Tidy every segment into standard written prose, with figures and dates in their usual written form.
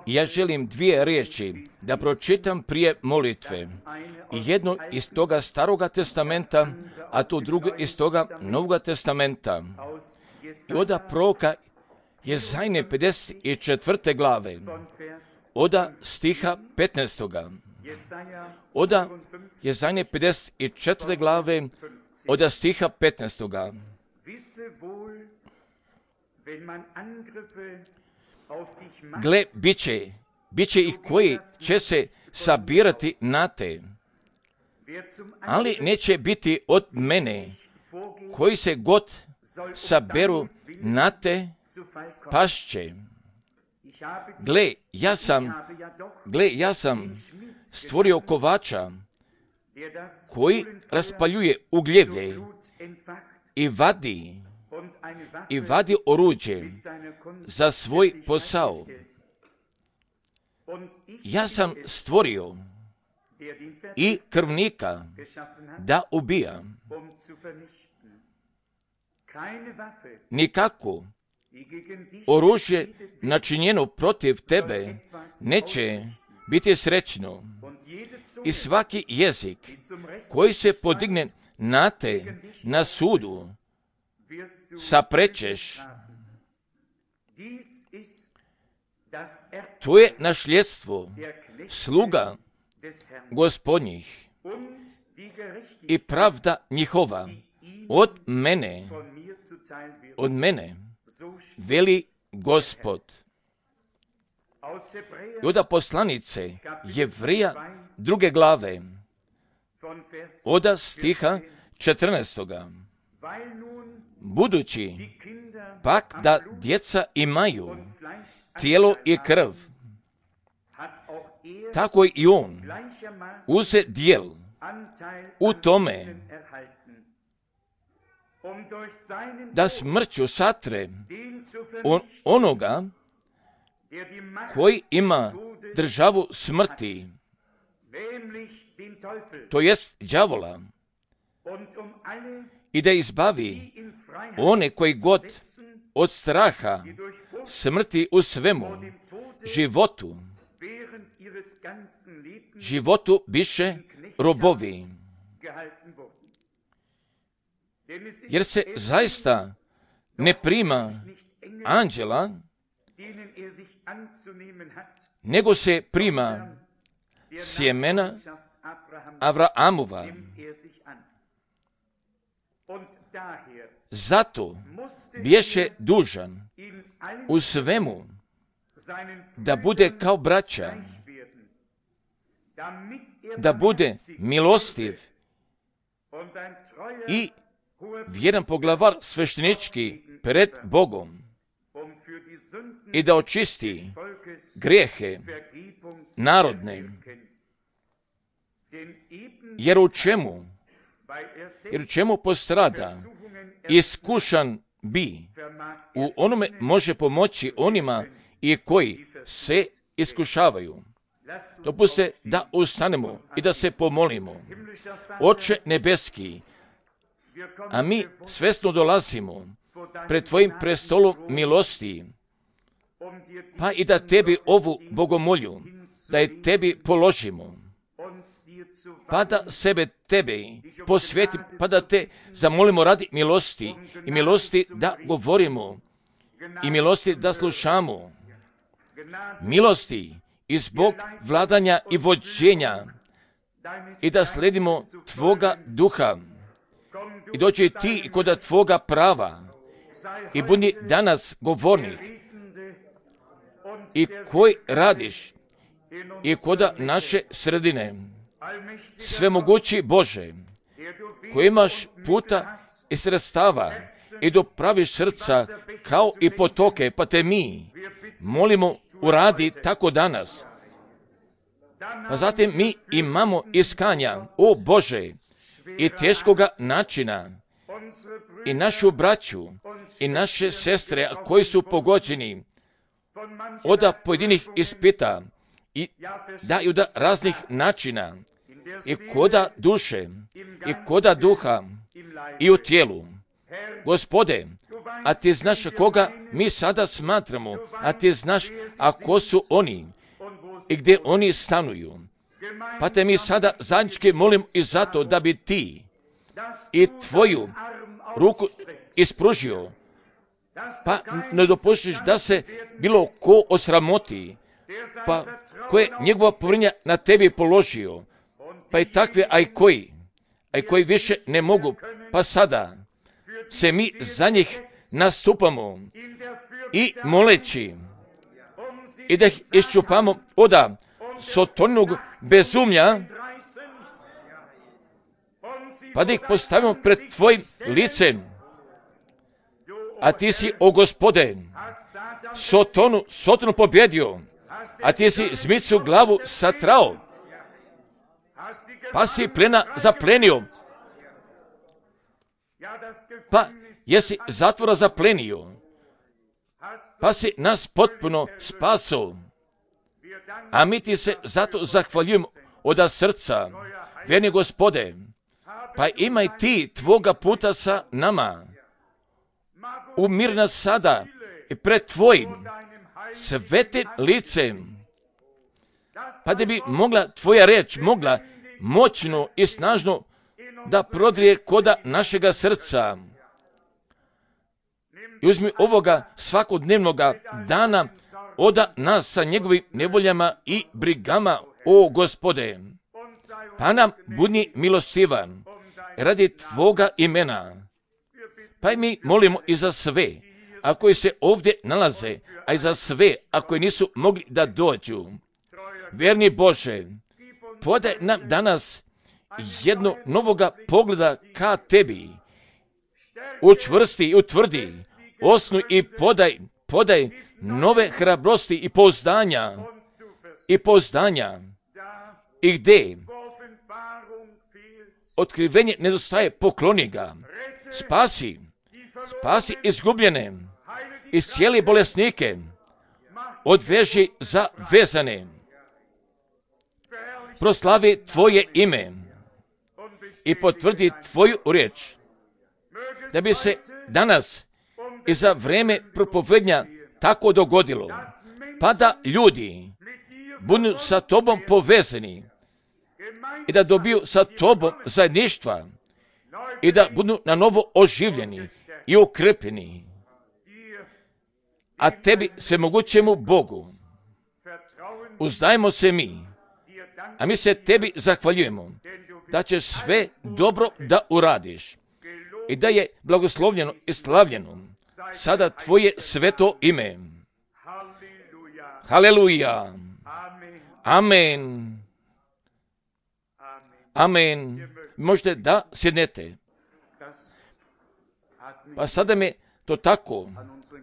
Ja želim dvije riječi da pročitam prije molitve. Jedno iz toga Staroga testamenta, a to drugo iz toga Novoga testamenta. I od proroka Jezajne 54. glave, od stiha 15. Od Jezajne 54. glave, od stiha 15. Gle, bit će ih koji će se sabirati na te, ali neće biti od mene, koji se god saberu na te, pašće. Gle, ja sam stvorio kovača, koji raspaljuje ugljevlje i vadi oruđe za svoj posao. Ja sam stvorio i krvnika da ubija. Nikako oružje načinjeno protiv tebe neće biti srećno. I svaki jezik koji se podigne na te na sudu saprećeš. To je nasljedstvo sluga Gospodnjih i pravda njihova od mene, veli Gospod. I od poslanice Jevrija 2. glave, od stiha 14. Budući pak da djeca imaju tijelo i krv, tako i on uze dijel u tome, da smrću satre onoga koji ima državu smrti, to jest đavola, i da izbavi one koji god od straha smrti u svemu životu biše robovi. Jer se zaista ne prima anđela, nego se prima sjemena Avraamova. Zato bješe dužan u svemu da bude kao braća, da bude milostiv i vjeran poglavar sveštenički pred Bogom i da očisti grijehe narodne. Jer u čemu postrada, iskušan bi, u onome može pomoći onima i koji se iskušavaju. Dopuste da ustanemo i da se pomolimo. Oče nebeski, a mi svesno dolazimo pred tvojim prestolom milosti, pa i da tebi ovu bogomolju, da je tebi položimo, pa da sebe tebi posvetim, pa da te zamolimo radi milosti i milosti da govorimo i milosti da slušamo, milosti i zbog vladanja i vođenja i da sledimo tvoga duha i dođi ti kod tvoga prava i budi danas govornik i koji radiš i kod naše sredine. Svemogući Bože, koji imaš puta i sredstava i dopraviš srca kao i potoke, pa te mi molimo uradi tako danas. Pa zatim mi imamo iskanja, o Bože, i teškoga načina, i našu braću, i naše sestre koji su pogođeni od pojedinih ispita, i da i od raznih načina, i koda duše, i koda duha, i u tijelu, Gospode, a ti znaš koga mi sada smatramo, a ti znaš ko su oni i gdje oni stanuju. Pa te mi sada zajednički molim i zato da bi ti i tvoju ruku ispružio, pa ne dopustiš da se bilo ko osramoti, pa koje njegova povjerenja na tebi položio, pa i takve, a i koji više ne mogu, pa sada se mi za njih nastupamo i moleći i da ih iščupamo od sotonog bezumlja, pa da ih postavimo pred tvojim licem. A ti si, o Gospode, Sotonu pobjedio, a ti si zmicu glavu satrao, pa si plena zaplenio, pa jesi zatvora zaplenio, pa si nas potpuno spasao. A mi ti se zato zahvaljujemo od srca, vjerni Gospode, pa imaj ti tvoga puta sa nama. Umir nas sada i pred tvojim svetim licem, pa da bi mogla tvoja reč mogla moćno i snažno da prodrije koda našega srca. I uzmi ovoga svakodnevnoga dana od nas sa njegovim nevoljama i brigama, o Gospode. Pa nam budi milostivan radi tvoga imena. Pa i mi molimo i za sve, a koji se ovdje nalaze, a i za sve, a koji nisu mogli da dođu. Vjerni Bože, podaj nam danas jedno novoga pogleda ka tebi. Učvrsti i utvrdi, osnuj i podaj nove hrabrosti i pouzdanja. I gdje otkrivenje nedostaje, pokloni ga. Spasi izgubljene, iscijeli bolesnike, odveži za vezane. Proslavi tvoje ime i potvrdi tvoju riječ, da bi se danas i za vrijeme propovednja tako dogodilo, pa da ljudi budu sa tobom povezani i da dobiju sa tobom zajedništva i da budu na novo oživljeni i ukrepljeni. A tebi svemogućemu Bogu uzdajemo se mi, a mi se tebi zahvaljujemo da ćeš sve dobro da uradiš i da je blagoslovljeno i slavljeno sada tvoje sveto ime. Haleluja. Amen. Amen. Možete da sjednete. Pa sada me to tako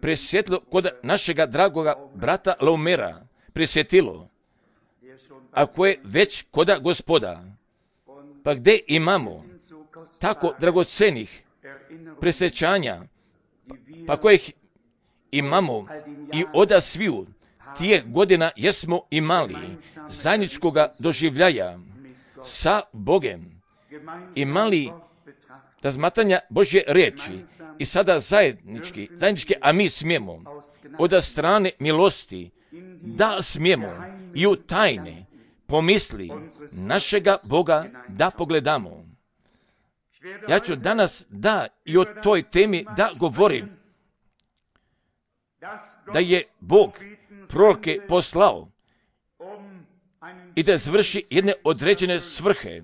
presjetilo kod našega dragoga brata Laumera, presjetilo, ako je već koda Gospoda, pa gdje imamo tako dragocenih presjećanja, pa kojih imamo i oda sviju tije godina jesmo imali zajedničkoga doživljaja sa Bogem, imali razmatranja Božje riječi i sada zajednički, a mi smijemo od strane milosti da smijemo i u tajne pomisli našega Boga da pogledamo. Ja ću danas i o toj temi da govorim, da je Bog proroke poslao i da završi jedne određene svrhe.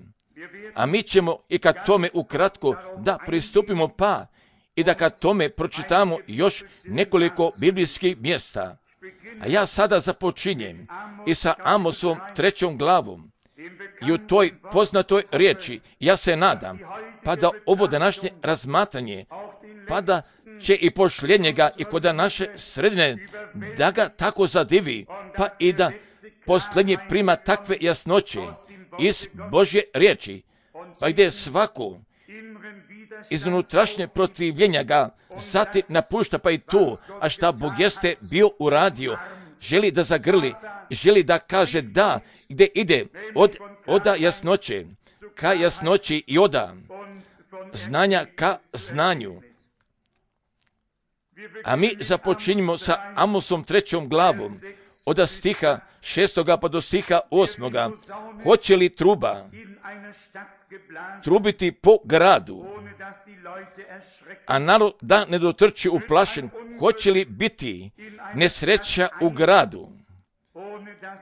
A mi ćemo i kad tome ukratko da pristupimo i da kad tome pročitamo još nekoliko biblijskih mjesta. A ja sada započinjem i sa Amosovom 3. glavom i u toj poznatoj riječi ja se nadam pa da ovo današnje razmatranje pa da će i posljednjega i kod naše sredine da ga tako zadivi pa i da posljednji prima takve jasnoće iz Božje riječi, pa gdje svako iz unutrašnje protivljenja ga zatim napušta pa i tu, a šta Bog jeste bio uradio, želi da zagrli, želi da kaže da, gdje ide od jasnoće ka jasnoći i od znanja ka znanju, A mi započinjemo sa Amosom 3. glavom, od stiha 6. pa do stiha 8. Hoće li truba trubiti po gradu, a narod da ne dotrči uplašen? Hoće li biti nesreća u gradu,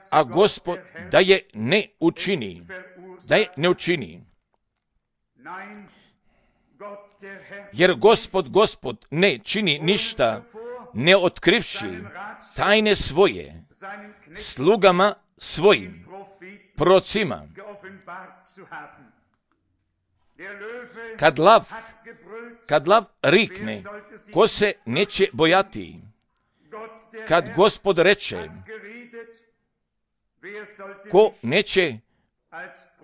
a Gospod da je ne učini? Jer Gospod ne čini ništa, ne otkrivši tajne svoje slugama svojim, prorocima. Kad lav rikne, ko se neće bojati? Kad Gospod reče, ko neće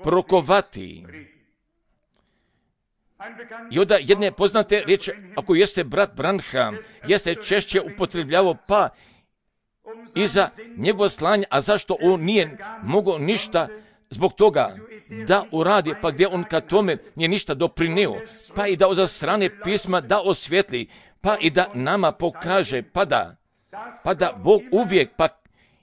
prokovati? I onda jedne poznate riječi, ako jeste brat Branham, jeste češće upotrebljavao, pa i za njegovo slanje, a zašto on nije mogao ništa zbog toga da uradi, pa gdje on ka tome nije ništa doprinio, pa i da od strane pisma da osvjetli, pa i da nama pokaže, pa da Bog uvijek, pa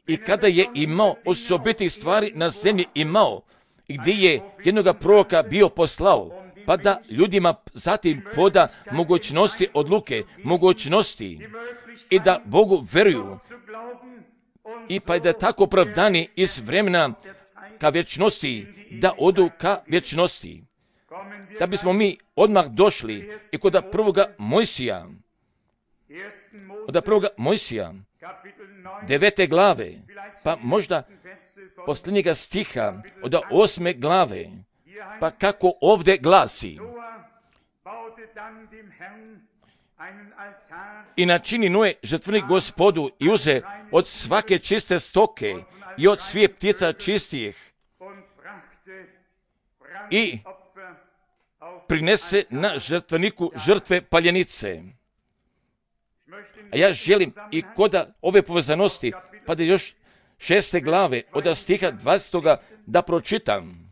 i kada je imao osobitih stvari na zemlji imao, gdje je jednoga proroka bio poslao, pa da ljudima zatim poda mogućnosti odluke, mogućnosti i da Bogu veruju i pa da tako opravdani iz vremena ka vječnosti, da odu ka vječnosti. Da bismo mi odmah došli i kod prvoga Mojsija, 9. glave, pa možda posljednjega stiha od 8. glave, pa kako ovdje glasi: i načini Noe žrtvenik Gospodu i uze od svake čiste stoke i od svih ptica čistih i prinese na žrtveniku žrtve paljenice. A ja želim i kod ove povezanosti, pa da još 6. glave od stiha 20. da pročitam.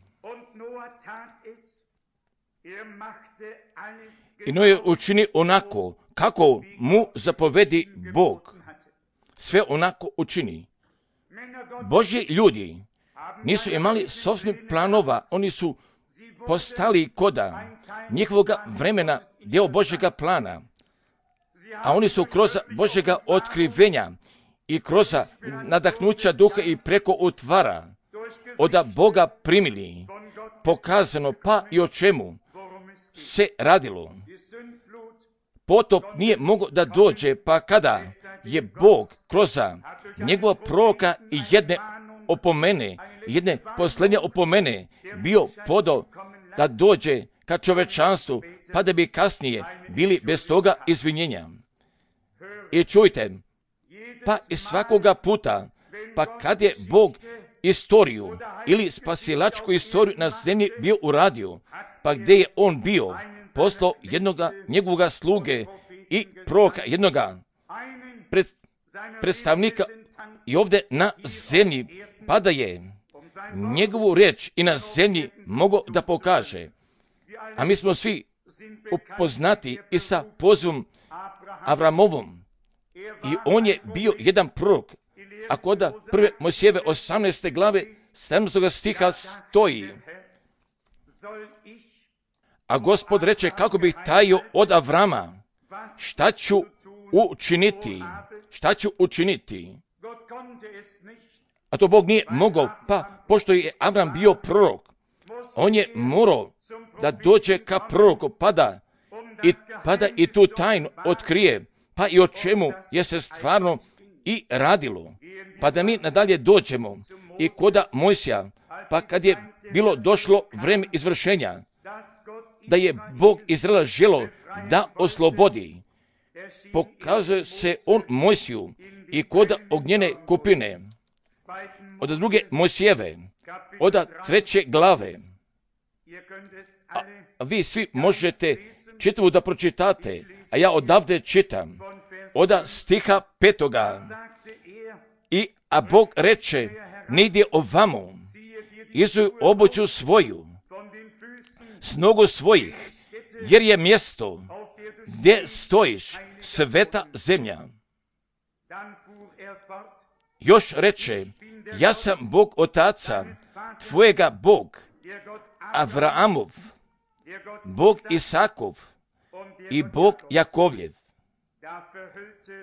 I Noe učini onako kako mu zapovedi Bog. Sve onako učini. Božji ljudi nisu imali sopstvenih planova, oni su postali koda njihovoga vremena dio Božjega plana, a oni su kroz Božjega otkrivenja i kroz nadahnuća duha i preko utvara od Boga primili, pokazano pa i o čemu se radilo. Potop nije mogao da dođe, pa kada je Bog kroz njegova proroka i jedne posljednje opomene bio podao da dođe ka čovečanstvu, pa da bi kasnije bili bez toga izvinjenja. I čujte, pa i svakoga puta, pa kad je Bog istoriju ili spasilačku istoriju na zemlji bio uradio, pa gdje je on bio, poslao jednoga njegovoga sluge i proroka, jednoga predstavnika i ovdje na zemlji, pa da je njegovu riječ i na zemlji mogao da pokaže. A mi smo svi upoznati i sa pozivom Avramovom. I on je bio jedan prorok. A kod 1. Mojsijeve 18. glave 7. stiha stoji: a Gospod reče, kako bih tajio od Avrama, šta ću učiniti? A to Bog nije mogao, pa pošto je Avram bio prorok, on je morao da dođe ka proroku, pa da i tu tajnu otkrije, pa i o čemu je se stvarno i radilo. Pa da mi nadalje dođemo i koda Mojsija, pa kad je bilo došlo vreme izvršenja, da je Bog Izraela želio da oslobodi, pokazuje se on Mojsiju i kod ognjene kupine, od 2. Mojsijeve, od 3. glave. A vi svi možete čitavu da pročitate, a ja odavde čitam, od stiha 5. A Bog reče, ne ide ovamo, izuj obuću svoju, s nogu svojih, jer je mjesto gdje stojiš, sveta zemlja. Još reče, ja sam Bog otaca tvojega, Bog Avraamov, Bog Isakov i Bog Jakovljev.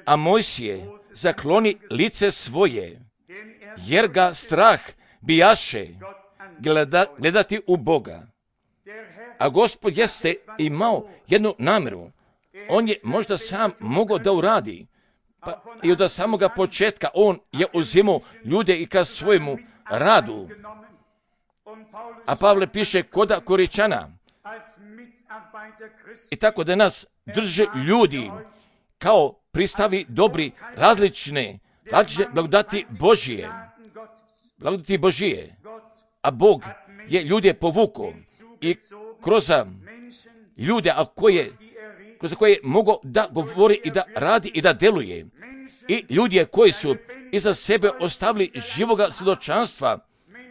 A Mojsije zakloni lice svoje, jer ga strah bijaše gledati u Boga. A Gospod jeste imao jednu namjeru. On je možda sam mogao da uradi. Pa i od samoga početka on je uzimao ljude i ka svojemu radu. A Pavle piše koda Koričana. I tako da nas drže ljudi kao pristavi dobri, različne blagodati Božije. A Bog je ljude povukao i kroz ljude, kroz koje mogu da govori i da radi i da deluje. I ljudi koji su iza sebe ostavili živoga svjedočanstva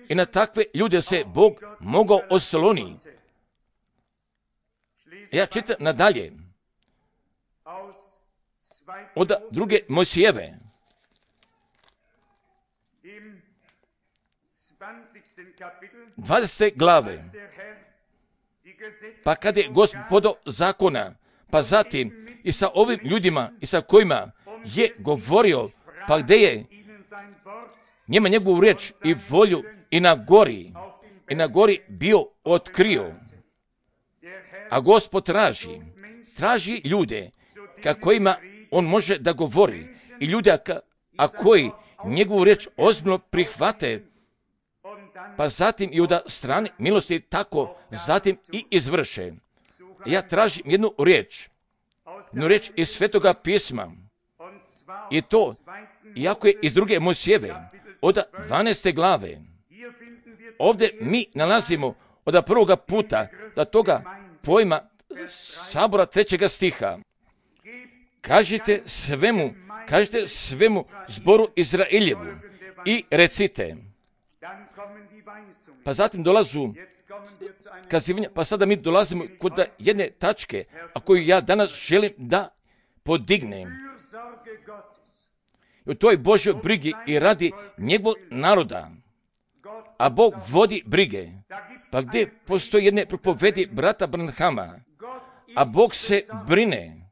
i na takve ljude se Bog mogao osloniti. Ja čitam nadalje od druge Mojsijeve. 20. glave. Pa kad je Gospod podao zakona, pa zatim i sa ovim ljudima i sa kojima je govorio, pa gdje je njima njegovu riječ i volju i na gori bio otkrio. A Gospod traži ljude ka kojima on može da govori i ljude a koji njegovu riječ ozbiljno prihvate, pa zatim i od strane milosti tako zatim i izvrše. Ja tražim jednu riječ iz Svetoga pisma. I to, iako je iz druge Mojsijeve, od 12. glave. Ovdje mi nalazimo od prvoga puta da toga pojma sabora 3. stiha. Kažite svemu zboru Izraeljevu i recite. Pa zatim dolazu kazivanja, pa sada mi dolazimo kod jedne tačke, a koju ja danas želim da podignem. U toj Božoj brigi i radi njegovog naroda, a Bog vodi brige. Pa gdje postoji jedne propovedi brata Branhama, a Bog se brine,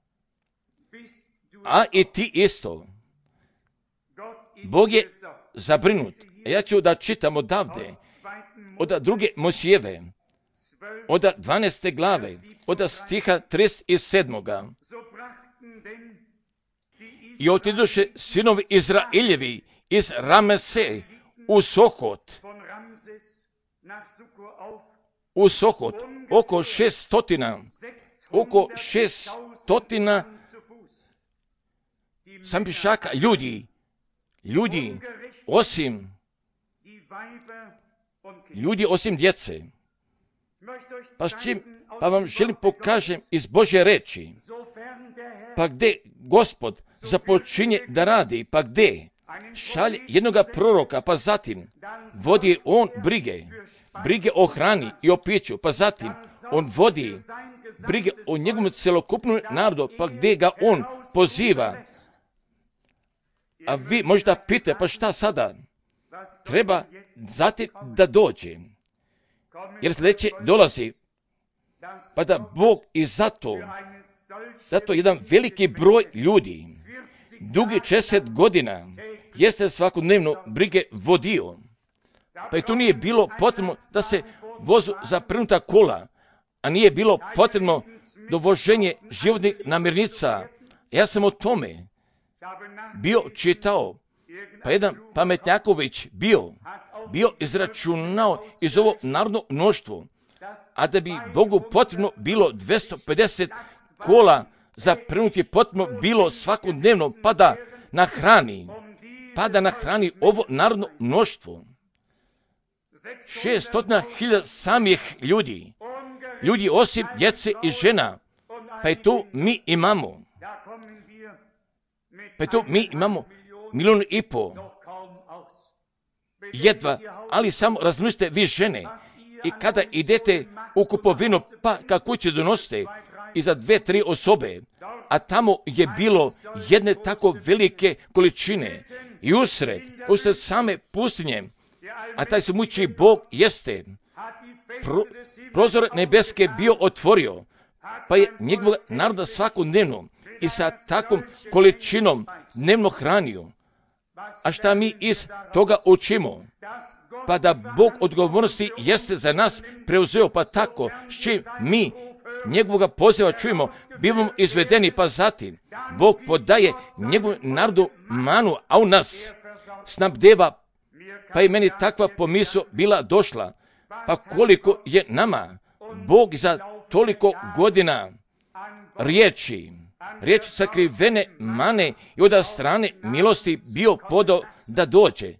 a i ti isto. Bog je zabrinut. Ja ću da čitam odavde, od druge Mojsijeve, od 12. glave, od stiha 37. I otidoše sinovi Izraeljevi iz Ramese u Sokot, oko 600 sam pišaka ljudi osim djece. Pa vam želim pokažem iz Božje reči. Pa gdje Gospod započinje da radi, pa gdje šalje jednoga proroka, pa zatim vodi on brige o hrani i o piću, pa zatim on vodi brige o njegovom celokupnom narodu, pa gdje ga on poziva. A vi možda pitate, pa šta sada? Treba zatim da dođe. Jer sljedeće dolazi. Pa da Bog i zato jedan veliki broj ljudi, dugi 40 godina, jeste svakodnevno brige vodio. Pa i tu nije bilo potrebno da se vozu zaprnuta kola, a nije bilo potrebno dovoženje životnih namirnica. Ja sam o tome bio čitao, pa jedan pametnjaković bio izračunao iz ovo narodno mnoštvo, a da bi Bogu potrebno bilo 250 kola zaprnuti potrebno bilo svakodnevno, pa da nahrani ovo narodno mnoštvo. 600.000 samih ljudi osim djece i žena, pa i to mi imamo. Pa i to mi imamo 1,5 milijuna. Jedva, ali samo razmislite vi žene i kada idete u kupovinu, pa kako će donosite iza 2-3 osobe, a tamo je bilo jedne tako velike količine i usred same pustinje, a taj svemoćni Bog jeste prozor nebeske bio otvorio, pa je njegovog naroda svakodnevno i sa takvom količinom dnevno hranio. A šta mi iz toga učimo? Pa da Bog odgovornosti jeste za nas preuzeo, pa tako s čim mi njegovoga poziva čujemo, bivamo izvedeni, pa zatim Bog podaje njegovom narodu manu, a u nas snabdeva, pa i meni takva pomisao bila došla, pa koliko je nama Bog za toliko godina riječi sakrivene mane i od strane milosti bio podao da dođe.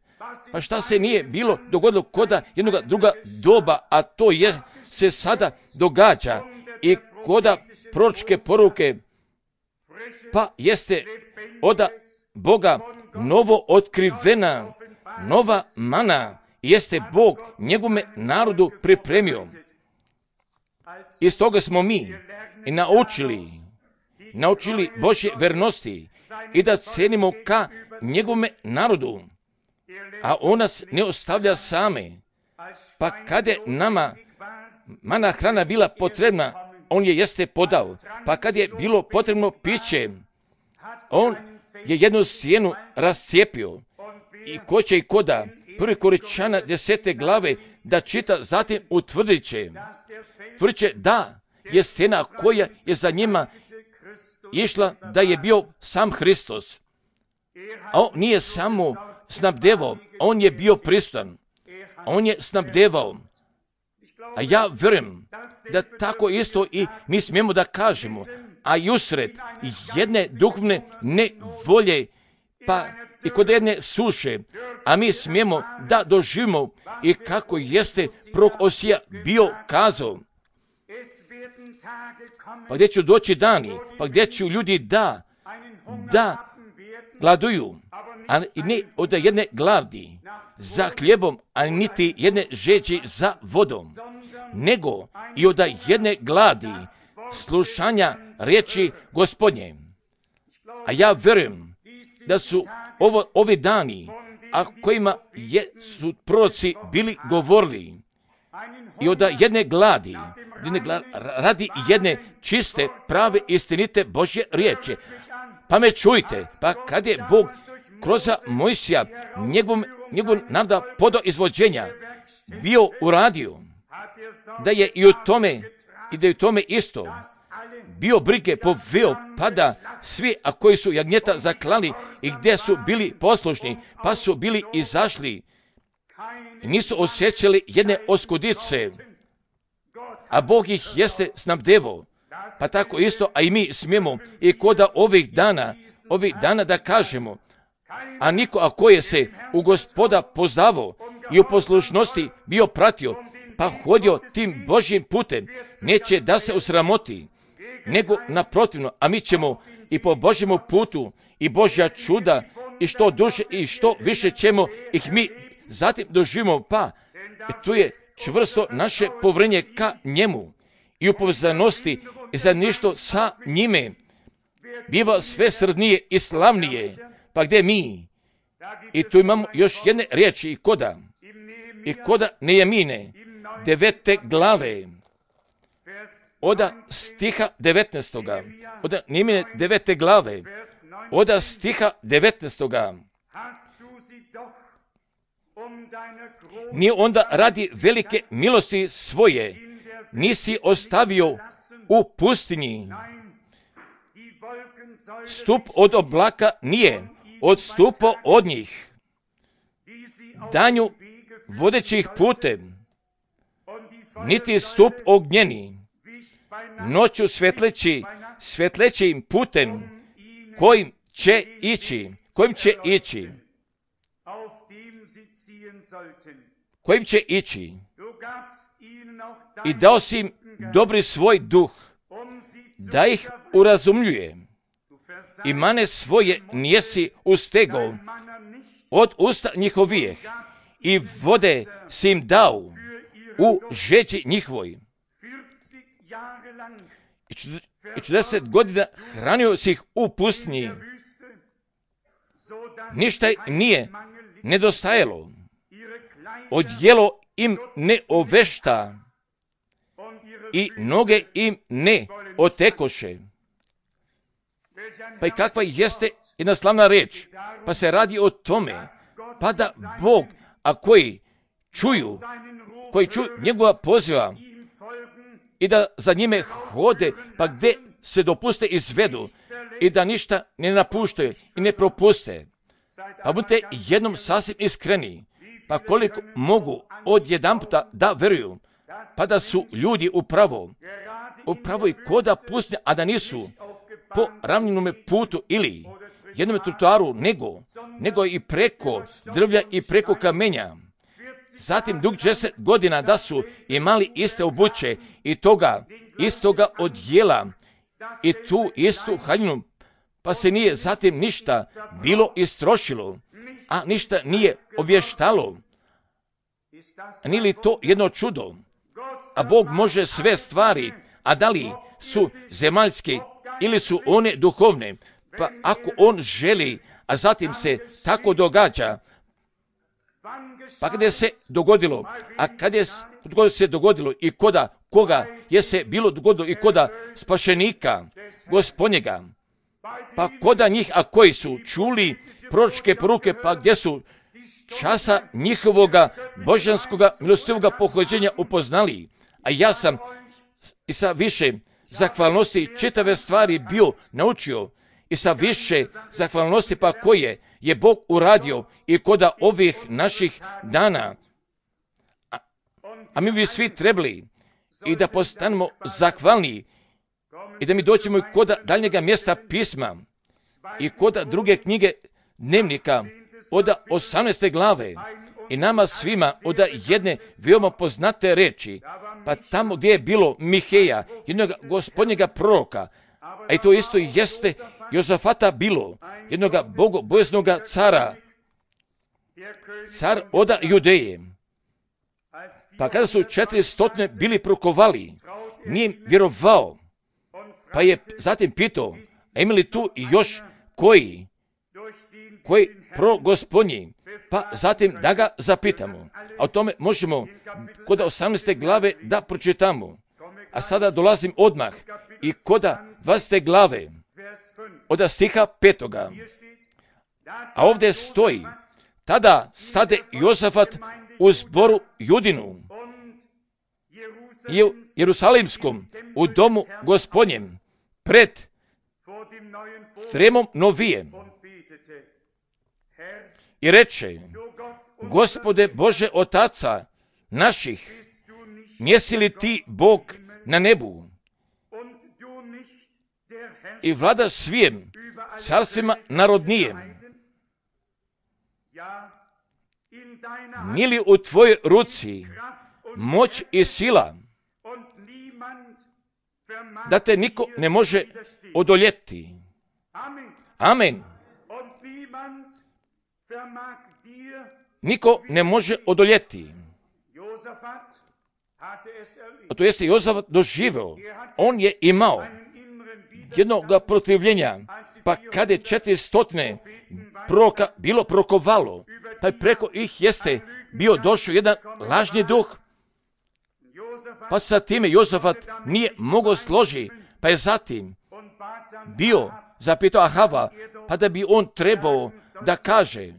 Pa šta se nije bilo dogodilo koda jednoga druga doba, a to je se sada događa i koda proročke poruke, pa jeste od Boga novo otkrivena, nova mana, jeste Bog njegovome narodu pripremio. Iz toga smo mi i naučili Božje vernosti i da cenimo ka njegovome narodu, a on nas ne ostavlja same. Pa kad je nama mana hrana bila potrebna, on je jeste podao. Pa kad je bilo potrebno piće, on je jednu stijenu rascijepio. I ko će i koda 1. Korinčana 10. glave da čita, zatim utvrdit će da je stijena koja je za njima išla, da je bio sam Hristos. A on nije samo snabdevao, on je bio prisutan. On je snabdevao. A ja vjerujem da tako isto i mi smijemo da kažemo, a i usred jedne duhovne nevolje, pa i kod jedne suše, a mi smijemo da doživimo i kako jeste prorok Osija bio kazao. Pa gdje će doći dani, pa gdje će ljudi da gladuju, a ne od jedne gladi za hljebom, a niti jedne žeđi za vodom, nego i od jedne gladi slušanja riječi Gospodnje. A ja vjerujem da su ovi dani, a kojima su proroci bili govorili, i od jedne gladi radi jedne čiste, prave, istinite Božje riječi. Pa me čujte, pa kad je Bog kroz Mojsija njegov naroda podao izvođenja bio uradio, da je i u tome isto bio brige poveo, pa da svi, a koji su jagnjeta zaklali i gdje su bili poslušni, pa su bili izašli, nisu osjećali jedne oskudice, a Bog ih jeste snabdevao. Pa tako isto, a i mi smijemo i koda ovih dana da kažemo, a niko ako je se u Gospoda poznavao i u poslušnosti bio pratio, pa hodio tim Božjim putem, neće da se osramoti, nego naprotivno, a mi ćemo i po Božjemu putu i Božja čuda i što duže i što više ćemo ih mi zatim doživimo, pa tu je čvrsto naše povjerenje ka njemu i u povezanosti i za ništo sa njime biva sve srdnije i slavnije. Pa gdje mi? I tu imamo još jedne riječi i koda Nejemine 9. glave od stiha 19. Od Nejemine 9. glave od stiha 19. Nije onda radi velike milosti svoje nisi ostavio u pustinji. Stup od oblaka nije odstupao od njih, danju vodeći ih putem, niti stup ognjeni, noću svetleći im putem kojim će ići. I dao si im dobri svoj duh, da ih urazumljuje. I mane svoje nijesi ustegao od usta njihovijeh i vode si im dao u žeđi njihovoj. i 40 godina hranio si ih u pustinji. Ništa nije nedostajalo. Odjelo im ne ovešta i noge im ne otekoše. Pa i kakva jeste jedna slavna reč? Pa se radi o tome, pa da Bog, a koji čuju njegova poziva i da za njime hode, pa gdje se dopuste izvedu i da ništa ne napuštaju i ne propuste. Pa budite jednom sasvim iskreni, pa koliko mogu od jedanputa da veruju, pa da su ljudi upravo i koda pustinja, a da nisu po ravninome putu ili jednom trotoaru, nego i preko drvlja i preko kamenja. Zatim dug 10 godina da su imali iste obuće i toga istoga odjela i tu istu haljinu, pa se nije zatim ništa bilo istrošilo, a ništa nije ovještalo. Nije li to jedno čudo? A Bog može sve stvari, a da li su zemaljske ili su one duhovne, pa ako On želi, a zatim se tako događa, pa kada je se dogodilo, a kada se dogodilo i koga je se bilo dogodilo i koda spašenika Gospodnjega, pa koda njih, a koji su čuli proročke poruke, pa gdje su časa njihovoga božanskoga milostivoga pohođenja upoznali, a ja sam i sa više zahvalnosti čitave stvari bio naučio i sa više zahvalnosti pa koje je Bog uradio i koda ovih naših dana. A mi bi svi trebali i da postanemo zahvalni i da mi doćemo i koda daljnjega mjesta pisma i koda druge knjige dnevnika od 18. glave i nama svima od jedne veoma poznate reči, pa tamo gdje je bilo Miheja, jednog gospodnjega proroka, a i to isto jeste Jozafata bilo, jednog bogobojaznoga cara, car od Judeje. Pa kada su 400 bili prokovali, nije im vjerovao, pa je zatim pitao, a ima li tu još koji progospodnji, pa zatim da ga zapitamo. A o tome možemo kod 18. glave da pročitamo. A sada dolazim odmah i kod 20. glave od stiha 5. A ovdje stoji, tada stade Jozafat u zboru Judinu i u Jerusalimskom u domu Gospodnjem pred Tremom Novijem i reče, Gospode Bože Otaca naših, njesi li ti Bog na nebu i vlada svijem carstvima narodnijem? Nije li u tvojoj ruci moć i sila da te niko ne može odoljeti? Amen. Niko ne može odoljeti. A to jeste Jozafat doživeo. On je imao jednog protivljenja, pa kada je 400 proroka bilo prokovalo, pa preko ih jeste bio došao jedan lažni duh, pa sa time Jozafat nije mogao složiti, pa je zatim bio zapitao Ahava, pa da bi on trebao da kaže,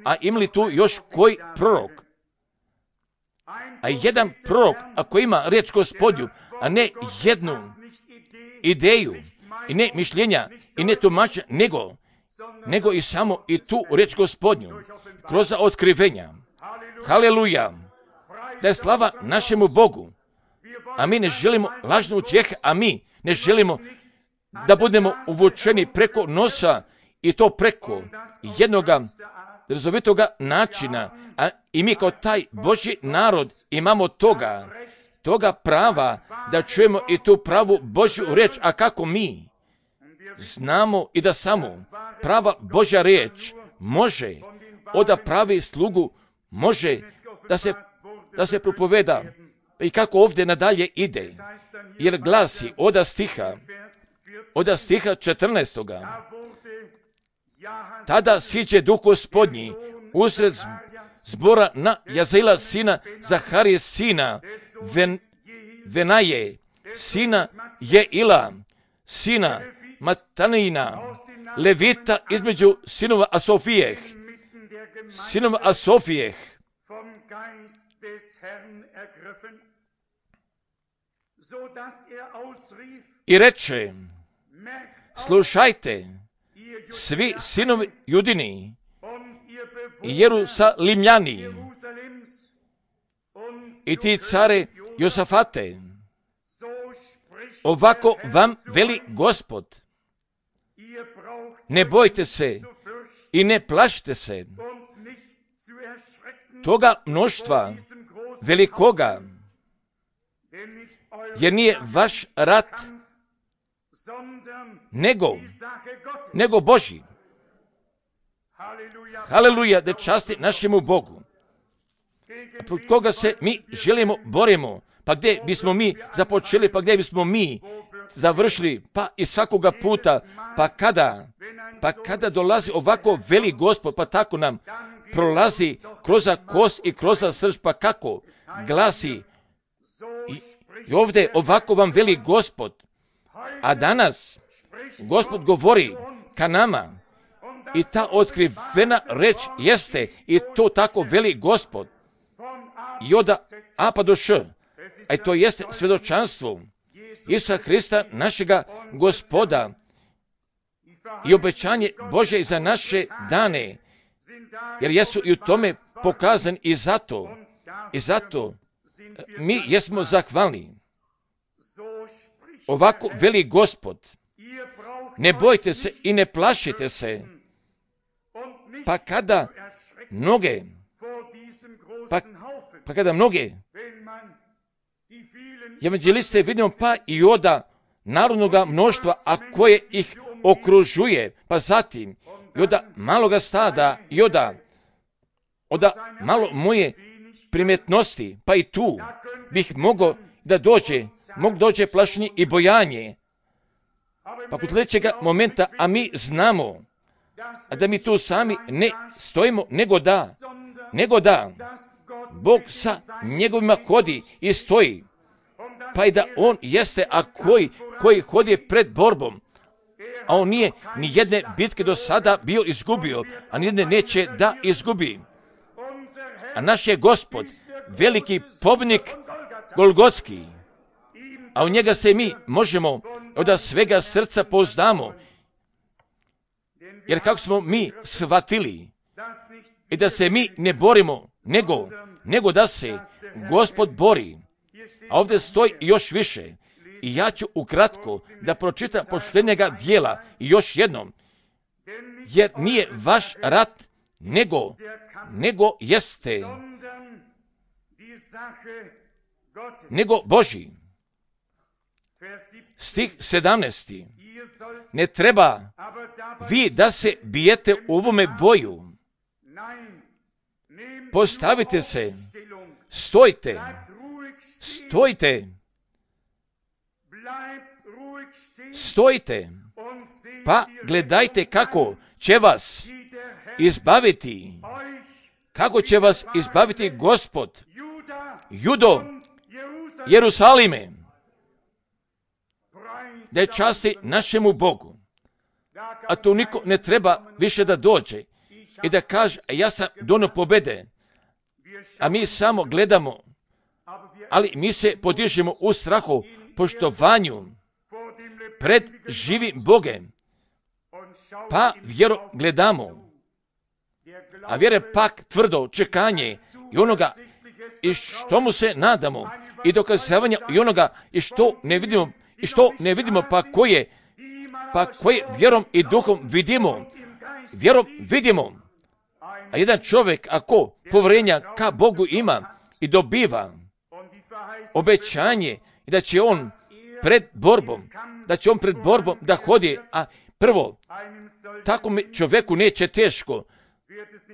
a ima li tu još koji prorok? A jedan prorok, ako ima riječ Gospodnju, a ne jednu ideju, i ne mišljenja, i ne tumačenja, nego i samo i tu riječ Gospodnju, kroz otkrivenja. Haleluja! Da je slava našemu Bogu. A mi ne želimo lažnu utjehe, a mi ne želimo da budemo uvučeni preko nosa i to preko jednoga razovitoga načina, a i mi kao taj Božji narod imamo toga prava da čujemo i tu pravu Božju riječ, a kako mi znamo i da samo prava Božja riječ može od pravi slugu, može da se propoveda i kako ovdje nadalje ide, jer glasi od stiha od stiha 14. Tada siđe Duh Gospodnji usred zbora na Jaziela sina Zaharije sina Venaje, sina Jeila, sina Matanina, Levita između sinova Asofijeh, i reče: slušajte, svi sinovi Judini i Jerusalimljani i ti care Josafate, ovako vam veli Gospod, ne bojte se i ne plašite se toga mnoštva velikoga, jer nije vaš rat nego Božji. Haleluja, da časti našemu Bogu. Protiv koga se mi želimo, borimo, pa gdje bismo mi započeli, pa gdje bismo mi završili, pa i svakoga puta, pa kada dolazi ovako veli Gospod, pa tako nam prolazi kroz kost i kroz srž, pa kako glasi i ovdje ovako vam veli Gospod, a danas Gospod govori ka nama i ta otkrivena reč jeste i to tako veli Gospod i od A pa do Š, a to jeste svjedočanstvo Isusa Hrista, našega Gospoda, i obećanje Božje za naše dane, jer jesu i u tome pokazani i zato mi jesmo zahvalni. Ovako veli Gospod, ne bojte se i ne plašite se, pa kada mnoge evanđeliste vidimo, pa i od narodnoga mnoštva, a koje ih okružuje, pa zatim i od maloga stada i od malo moje primetnosti, pa i tu bih mogao da dođe plašenje i bojanje. Pa kod sljedećega momenta, a mi znamo da mi tu sami ne stojimo, nego da Bog sa njegovima hodi i stoji, pa i da on jeste, a koji hodi pred borbom, a on nije ni jedne bitke do sada bio izgubio, a ni jedne neće da izgubi. A naš je Gospod veliki pobjednik Golgotski, a u njega se mi možemo od svega srca pouzdamo, jer kako smo mi shvatili i da se mi ne borimo, nego da se Gospod bori. A ovdje stoji još više. I ja ću ukratko da pročitam posljednjega dijela i još jednom, jer nije vaš rat, nego Božji. Stih 17. Ne treba vi da se bijete u ovome boju. Postavite se, stojite, pa gledajte kako će vas izbaviti Gospod, Judo, Jerusalime, da je časti našemu Bogu. A tu niko ne treba više da dođe i da kaže, ja sam donio pobjede, a mi samo gledamo, ali mi se podižemo u strahu, poštovanju pred živim Bogem, pa vjeru gledamo, a vjere pak tvrdo čekanje i onoga i što mu se nadamo i dokazavanja i onoga i što ne vidimo, pa koje vjerom i duhom vidimo. A jedan čovjek ako povjerenja ka Bogu ima i dobiva obećanje i da će on pred borbom da hodi, a prvo tako čovjeku neće teško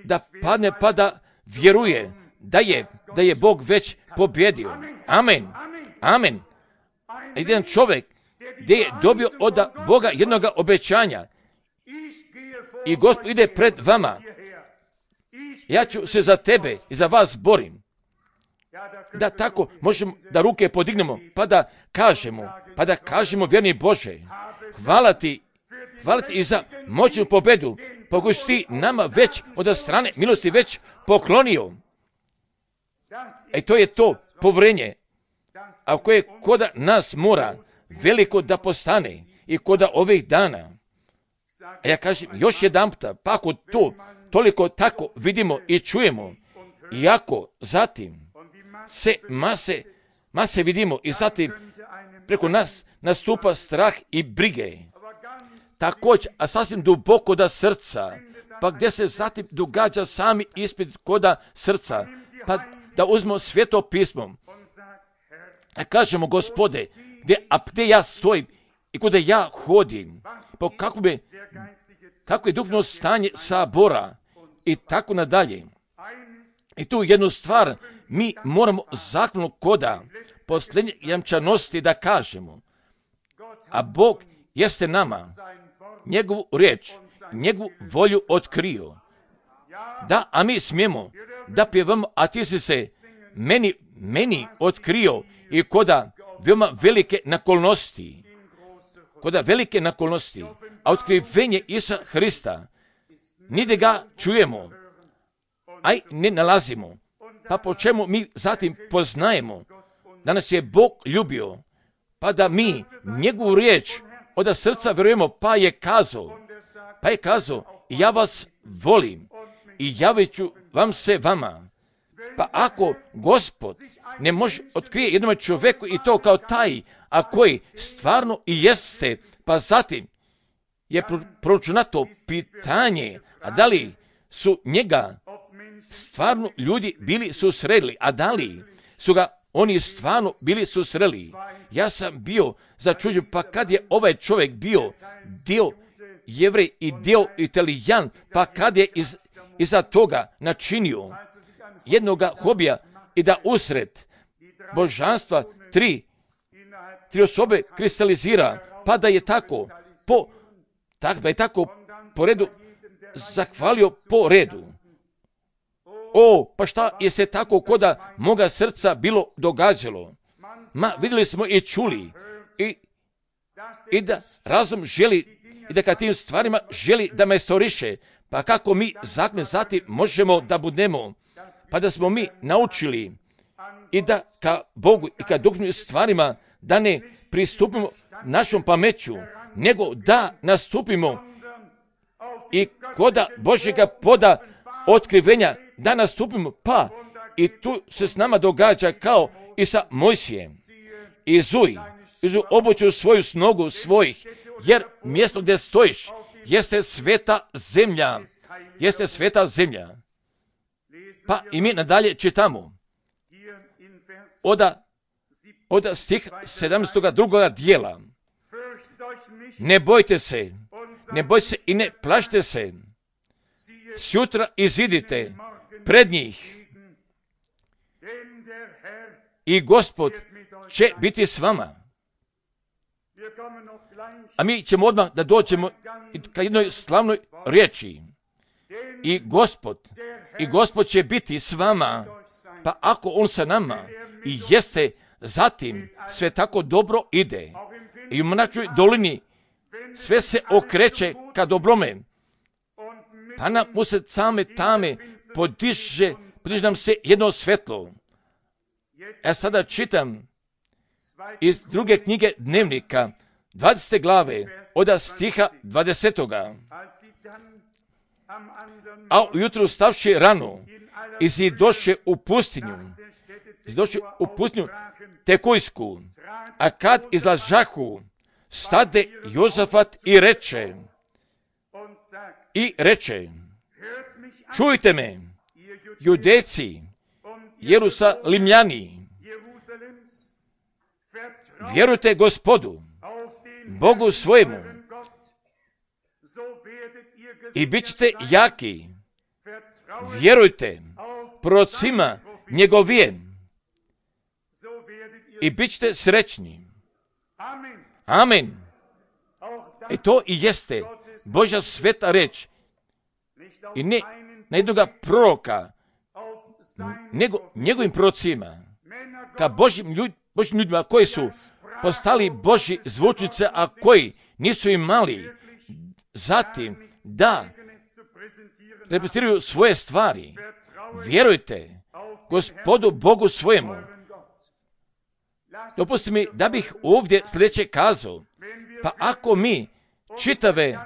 da padne pa da vjeruje da je Bog već pobjedio. Amen. Jedan čovjek gdje je dobio od Boga jednoga obećanja. I Gospod ide pred vama. Ja ću se za tebe i za vas borim. Da tako možemo da ruke podignemo, pa da kažemo vjerni Bože, hvala ti i za moćnu pobedu, koju si ti nama već od strane milosti već poklonio. To je to povrenje, a koje koda nas mora veliko da postane i koda ovih dana. A ja kažem još jedanputa, pa ako to toliko tako vidimo i čujemo, iako zatim se mase vidimo i zatim preko nas nastupa strah i brige. Također, a sasvim duboko da srca, pa gdje se zatim događa sami ispit koda srca, pa da uzmemo Sveto pismo, a kažemo Gospode, gdje ja stojim i kuda ja hodim, po kako je duhovno stanje sabora i tako nadalje. I tu jednu stvar mi moramo zakonu koda posljednje jamčanosti da kažemo, a Bog jeste nama njegovu riječ, njegovu volju otkrio. Da, a mi smijemo da pjevamo, a ti si se meni otkrio i koda veoma velike nakolnosti. A otkrivenje Isusa Hrista, nigdje ga čujemo, aj ne nalazimo. Pa po čemu mi zatim poznajemo da nas je Bog ljubio, pa da mi njegovu riječ od srca vjerujemo, pa je kazao, ja vas volim i javit ću vam se vama. Pa ako Gospod ne može otkrije jednom čovjeku i to kao taj, a koji stvarno i jeste, pa zatim je proračunato pitanje, a da li su njega stvarno ljudi bili susreli, a da li su ga oni stvarno bili susreli. Ja sam bio začuđen, pa kad je ovaj čovjek bio dio Jevrej i dio Italijan, pa kad je iza toga načinio jednoga hobija i da usred božanstva tri osobe kristalizira, pa da je tako po redu zahvalio po redu. Pa šta je se tako koda moga srca bilo događalo? Vidjeli smo i čuli i da razum želi i da kad tim stvarima želi da me storiše, pa kako mi zatim možemo da budemo, pa da smo mi naučili i da ka Bogu i ka duhovnim stvarima da ne pristupimo našom pameću, nego da nastupimo i koda Božjega poda otkrivenja, da nastupimo, pa i tu se s nama događa kao i sa Mojsijem. Izuj obuću svoju snogu svojih, jer mjesto gdje stojiš jeste sveta zemlja. Pa i mi nadalje čitamo od stih 17. drugog dijela. Ne bojte se i ne plašite se. Sjutra izidite pred njih i Gospod će biti s vama. A mi ćemo odmah da dođemo ka jednoj slavnoj riječi. I Gospod će biti s vama. Pa ako on sa nama i jeste, zatim sve tako dobro ide. I u mračnoj dolini sve se okreće ka dobrome. Pa nam usred same tame podiže nam se jedno svetlo. Ja sada čitam iz druge knjige Dnevnika, 20. glave, od stiha 20. A ujutru stavši rano, izidoše u pustinju Tekojsku, a kad izlažahu, stade Jozafat i reče, čujte me, Judejci, Jerusalimljani, vjerujte Gospodu, Bogu svojemu, i bit ćete jaki. Vjerujte prorocima njegovijem i bit ćete srećni. Amen. I to i jeste Božja sveta reč. I ne na jednoga proroka, nego njegovim prorocima, ka Božjim ljudima koji su postali Božji zvučnice, a koji nisu imali zatim da reprezentiraju svoje stvari. Vjerujte Gospodu Bogu svojemu. Dopusti mi da bih ovdje sljedeće kazao. Pa ako mi čitave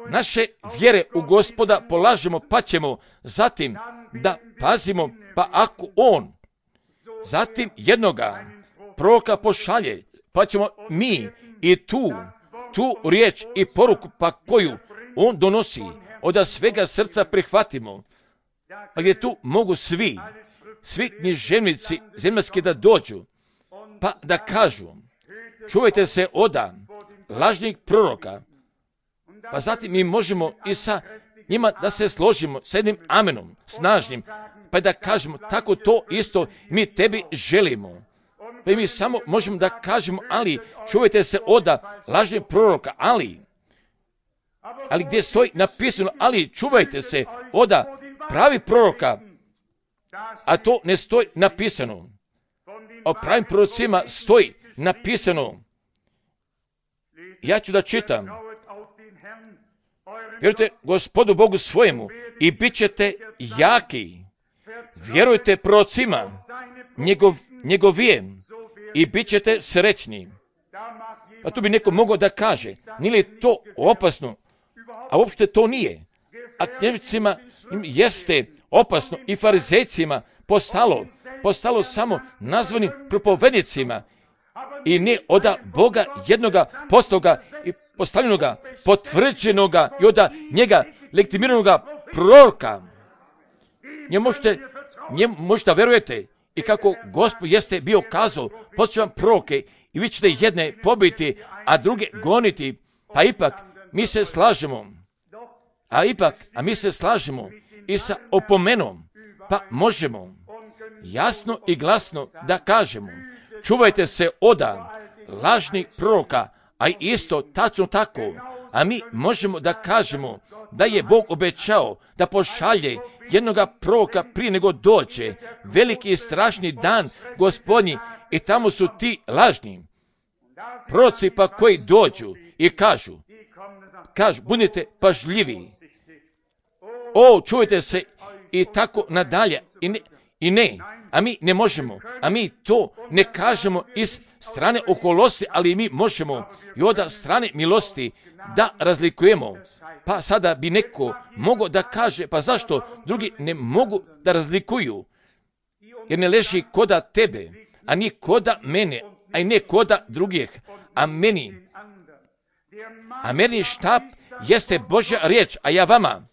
naše vjere u Gospoda polažemo, pa ćemo zatim da pazimo, pa ako on zatim jednoga proroka pošalje, pa ćemo mi i tu riječ i poruku pa koju on donosi, od svega srca prihvatimo, pa gdje tu mogu svi književnici zemaljski da dođu, pa da kažu, čuvajte se od lažnih proroka, pa zatim mi možemo i sa njima da se složimo sa jednim amenom, snažnim, pa da kažemo, tako to isto mi tebi želimo. Pa mi samo možemo da kažemo, ali čuvajte se od lažnih proroka, ali gdje stoji napisano, ali čuvajte se od pravi proroka, a to ne stoji napisano. O pravim prorocima stoji napisano. Ja ću da čitam. Vjerujte Gospodu Bogu svojemu i bit ćete jaki. Vjerujte prorocima njegovijem i bit ćete srećni. A tu bi neko mogao da kaže, nije li to opasno? A uopšte to nije. A knježnicima jeste opasno i farizejcima postalo samo nazvanim propovednicima i ne od Boga jednoga postaloga i postavljenoga, potvrđenoga i od njega legitimiranoga proroka. Njemu možete verujete i kako Gospod jeste bio kazao, posjećam proroke i vi ćete jedne pobiti, a druge goniti, pa ipak mi se slažemo. A mi se slažemo i sa opomenom, pa možemo jasno i glasno da kažemo, čuvajte se od lažnih proroka, a isto tačno tako, a mi možemo da kažemo da je Bog obećao da pošalje jednoga proroka prije nego dođe veliki i strašni dan Gospodnji, i tamo su ti lažni proroci pa koji dođu i kažu, budite pažljivi, čuvajte se i tako nadalje, i ne, a mi ne možemo, a mi to ne kažemo iz strane oholosti, ali mi možemo i od strane milosti da razlikujemo. Pa sada bi neko mogao da kaže, pa zašto drugi ne mogu da razlikuju? Jer ne leži koda tebe, a ni koda mene, a i ne koda drugih, a meni štap jeste Božja riječ, a ja vama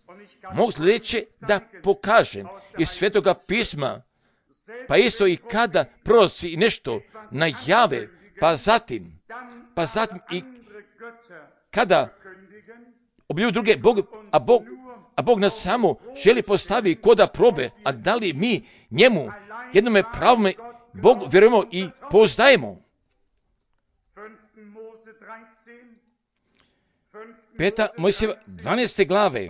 mogu sljedeće da pokažem iz Svetoga pisma, pa isto i kada proroci i nešto najave, pa zatim i kada objavljuju druge a Bog nas samo želi postavi koda probe, a da li mi njemu jednome pravome Bogu vjerujemo i pouzdajemo. 5. Mojsijeva 12. glave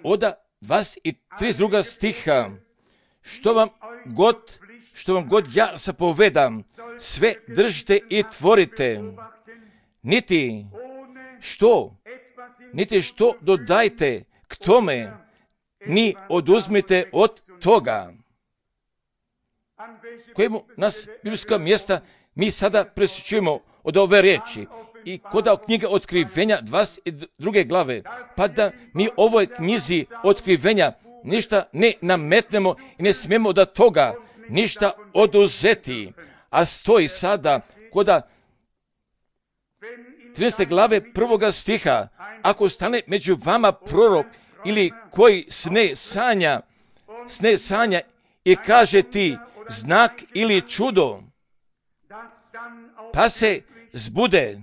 od 22. stiha, što vam god ja zapovedam, sve držite i tvorite, niti što dodajte k tome, ni oduzmite od toga. Kojemu nas biblijska mjesta mi sada presjećujemo od ove riječi i kod knjige Otkrivenja 22. glave, pa da mi ovoj knjizi Otkrivenja ništa ne nametnemo i ne smijemo da toga ništa oduzeti. A stoji sada kod 13. glave 1. stiha, ako stane među vama prorok ili koji sne sanja i kaže ti znak ili čudo, pa se zbude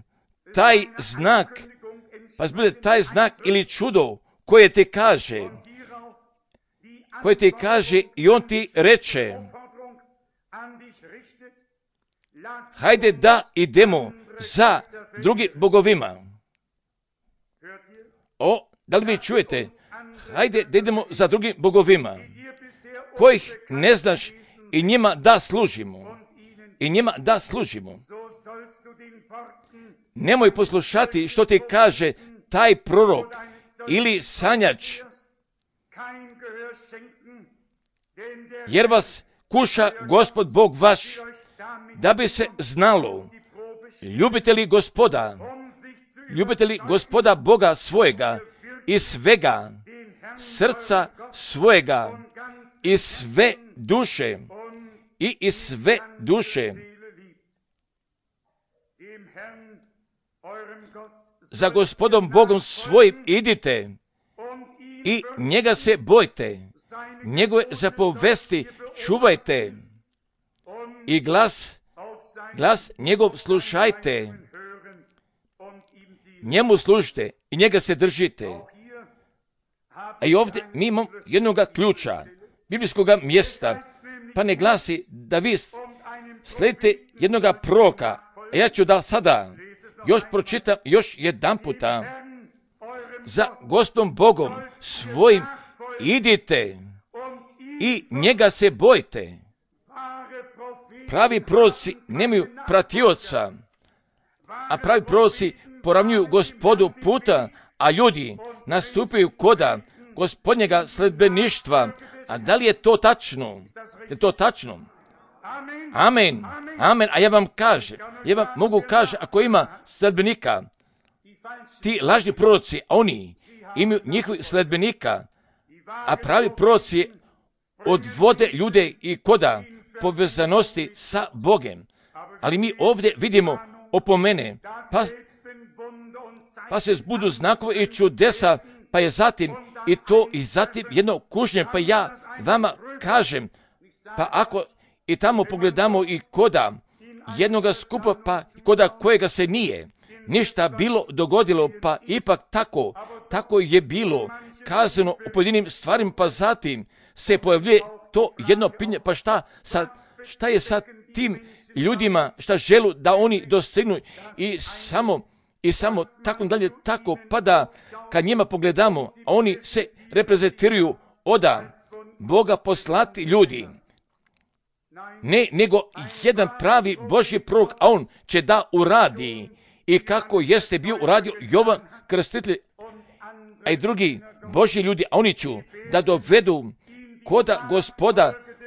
taj znak ili čudo koje ti kaže i on ti reče, hajde da idemo za drugim bogovima. Da li vi čujete? Hajde da idemo za drugim bogovima, kojih ne znaš i njima da služimo. Nemoj poslušati što ti kaže taj prorok ili sanjač, jer vas kuša Gospod Bog vaš, da bi se znalo, ljubite li Gospoda Boga svojega i svega srca svojega i sve duše i sve duše. Za Gospodom Bogom svojim idite i njega se bojte, njegove zapovesti čuvajte i glas njegov slušajte, njemu služite i njega se držite. A i ovdje mi imamo jednoga ključa, biblijskog mjesta, pa ne glasi da vi slijedite jednoga proroka. A ja ću da sada još pročitam još jedan puta. Za Gospodom Bogom svojim idite i njega se bojte. Pravi proroci nemaju pratioca, a pravi proroci poravnjuju Gospodu puta, a ljudi nastupaju koda Gospodnjega sledbeništva. A da li je to tačno? Je to tačno? Amen. Amen. A ja vam mogu kažem, ako ima sledbenika, ti lažni proroci, oni imaju njihovih sledbenika, a pravi proroci odvode ljude i koda povezanosti sa Bogem. Ali mi ovdje vidimo opomene, pa se zbudu znakove i čudesa, pa je zatim jedno kušnje, pa ja vama kažem, pa ako i tamo pogledamo i koda jednoga skupa, pa koda kojega se nije ništa bilo dogodilo, pa ipak tako je bilo kazano u pojedinim stvarima, pa zatim se pojavljuje to jedno pitanje, pa šta je sa tim ljudima, šta želu da oni dostignu i samo tako dalje, tako pa da kad njima pogledamo, a oni se reprezentiraju oda Boga poslati ljudi. Ne, nego jedan pravi Božji prorok, a on će da uradi i kako jeste bio uradio Jovan Krstitelj, a i drugi Božji ljudi, a oni ću da dovedu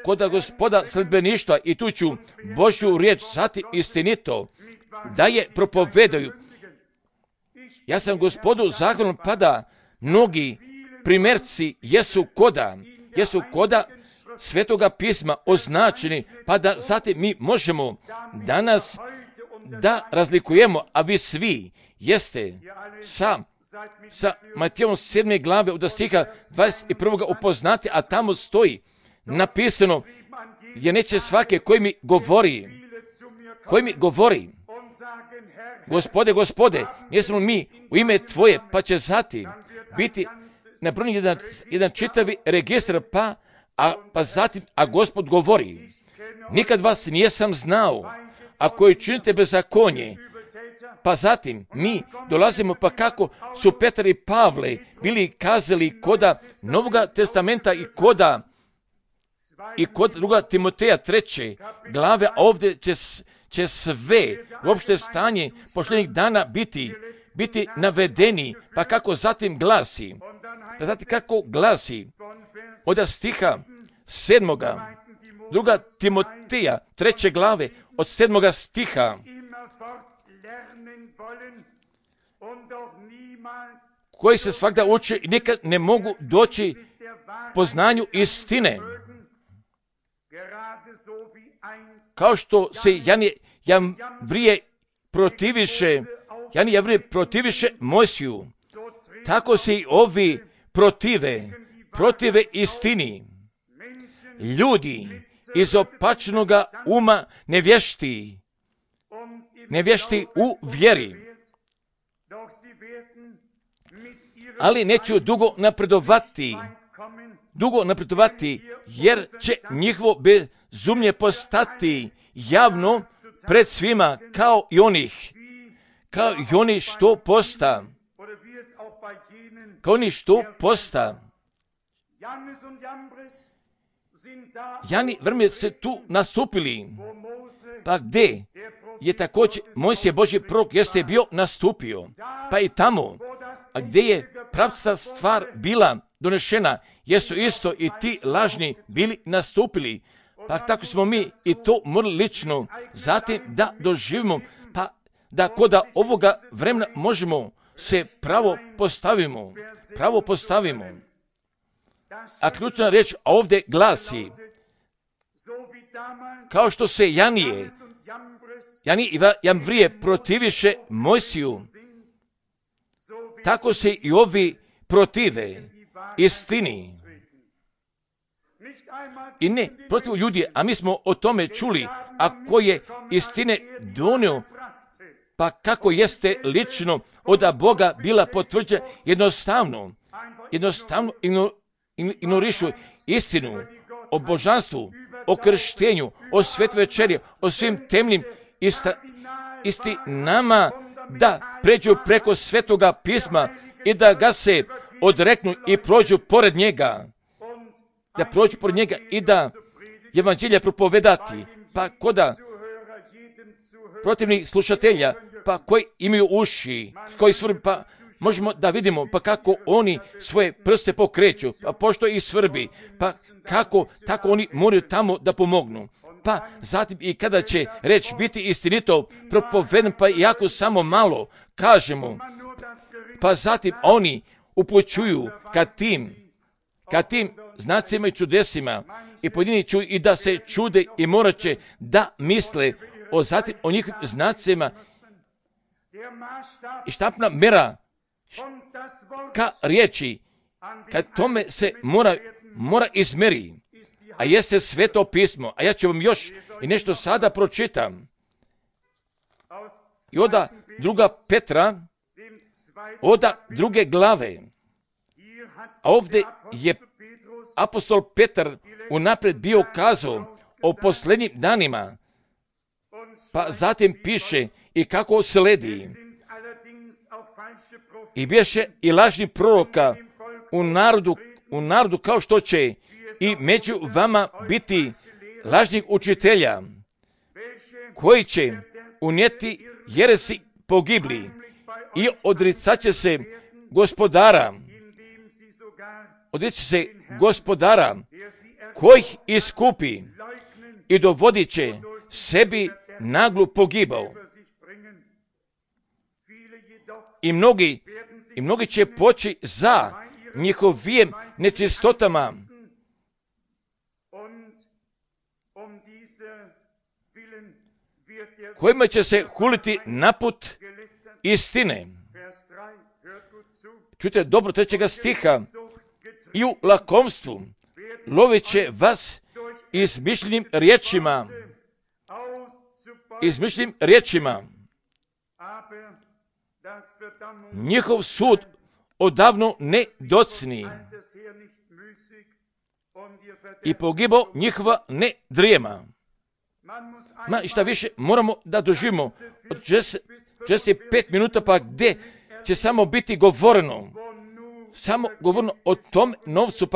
koda Gospoda sledbeništva i tu ću Božju riječ zatim istinito da je propovedaju. Ja sam Gospodu zahvalan, pa da mnogi primjerci jesu koda Svetoga pisma označeni, pa da zatim mi možemo danas da razlikujemo, a vi svi jeste sa Matejom 7. glave od stiha 21. upoznati, a tamo stoji napisano, jer neće svake koji mi govori, Gospode, jesmo mi u ime Tvoje, pa će zatim biti napravljen jedan čitavi registar, pa zatim, a Gospod govori, nikad vas nijesam znao, a koji činite bezakonje, pa zatim mi dolazimo, pa kako su Petar i Pavle bili kazali koda Novoga testamenta i kod 2. Timoteja 3. glave, a ovdje će sve uopšte stanje posljednjih dana biti navedeni, pa kako zatim glasi, od stiha 7. 2. Timoteja 3. glave od 7. stiha, koji se svakda uče i nikad ne mogu doći poznanju istine. Kao što se Janije protiviše Mojsiju, tako se i ovi protive istini. Ljudi iz opačnoga uma nevješti u vjeri, ali neću dugo napredovati, jer će njihovo bezumlje postati javno pred svima, kao i onih kao i oni što posta. Kao oni što posta. Jan i Jambres se tu nastupili. Pa gdje je također Mojsije Božji prorok jeste bio nastupio. Pa i tamo, a gdje je pravca stvar bila donešena, jesu isto i ti lažni bili nastupili. Pa tako smo mi i to morali lično zatim da doživimo, pa da kod ovoga vremena možemo se pravo postavimo. A ključna riječ ovdje glasi, kao što se Jan i Jambres protiviše Mojsiju, tako se i ovi protive istini. I ne protiv ljudi, a mi smo o tome čuli, ako je istine donio, pa kako jeste lično od Boga bila potvrđena, jednostavno ignorišu istinu o božanstvu, o krštenju, o svetoj večeri, o svim temnim istinama, da pređu preko svetoga pisma i da ga se odreknu i prođu pored njega. Da prođu pored njega i da evanđelje propovedati, pa koda protivnih slušatelja, pa koji imaju uši, koji svrbi, pa možemo da vidimo pa kako oni svoje prste pokreću, pa pošto ih svrbi, pa kako tako oni moraju tamo da pomognu. Pa zatim i kada će reč biti istinito propoveden, pa iako samo malo kažemo, pa zatim oni upućuju ka tim znacima i čudesima i pojedini čuju i da se čude i morat će da misle o njihovim znacima i štapna mera ka riječi, kad tome se mora izmeri, a jeste sveto pismo. A ja ću vam još i nešto sada pročitam. I oda 2. Petra, oda 2. glave. A ovdje je apostol Petar unaprijed bio kazao o posljednjim danima, pa zatim piše i kako sledi. I bješe i lažni proroka u narodu kao što će i među vama biti lažnih učitelja, koji će unijeti jeresi pogibli i odricat će se gospodara kojih iskupi i dovodit će sebi naglu pogibao. I mnogi će poći za njihovim nečistotama, kojima će se huliti naput istine. Čujte dobro 3. stiha. I u lakomstvu lovit će vas izmišljenim riječima. Njihov sud odavno ne docni i pogibao njihova ne drijema. I šta više moramo da doživimo od 45 minuta, pa gdje će samo biti govoreno o tom novcu,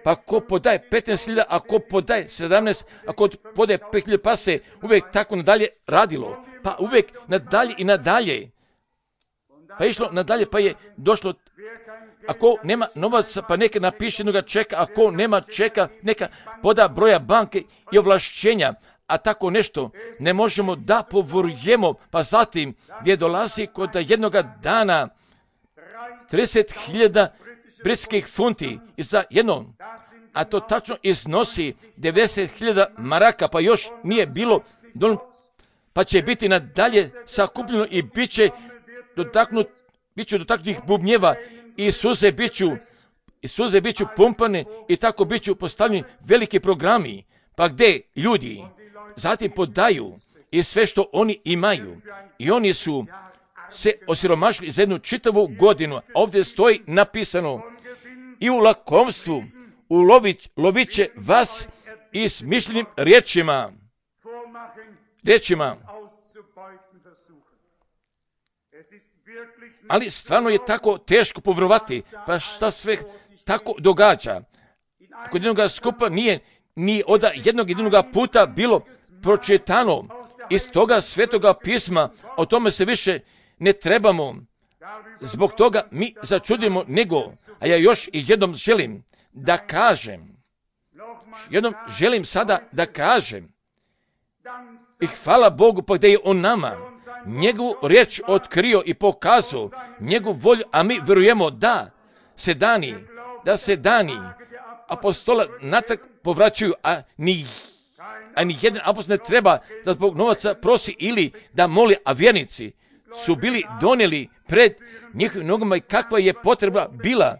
pa ko podaje 15.000, a ko podaje 17, a ko podaje 5.000, pa se uvijek tako nadalje radilo, pa uvijek nadalje i nadalje, pa išlo nadalje, pa je došlo, ako nema novaca, pa neka napiše jednoga čeka, ako nema čeka, neka poda broja banke i ovlašćenja, a tako nešto ne možemo da povorujemo, pa zatim gdje dolazi kod jednoga dana 30.000 britskih funti za jedno, a to tačno iznosi 90.000 maraka, pa još nije bilo, pa će biti nadalje sakupljeno i bit će dotaknutih bubnjeva i suze biću pumpane i tako biću postavljeni veliki programi, pa gdje ljudi zatim podaju i sve što oni imaju i oni su se osiromašili za jednu čitavu godinu. Ovdje stoji napisano i u lakomstvu lovit će vas izmišljenim riječima. ali stvarno je tako teško povjerovati, pa šta sve tako događa. Kod jednoga skupa nije ni od jednog jedinog puta bilo pročitano iz toga svetoga pisma, o tome se više ne trebamo. Zbog toga mi začudimo nego, a ja još i jednom želim da kažem, sada da kažem, i hvala Bogu pa gdje je on nama njegovu riječ otkrio i pokazao, njegovu volju, a mi vjerujemo da se dani apostola natrag povraćaju, a ni jedan apostol ne treba da zbog novaca prosi ili da moli, a vjernici su bili donijeli pred njihovim nogama i kakva je potreba bila.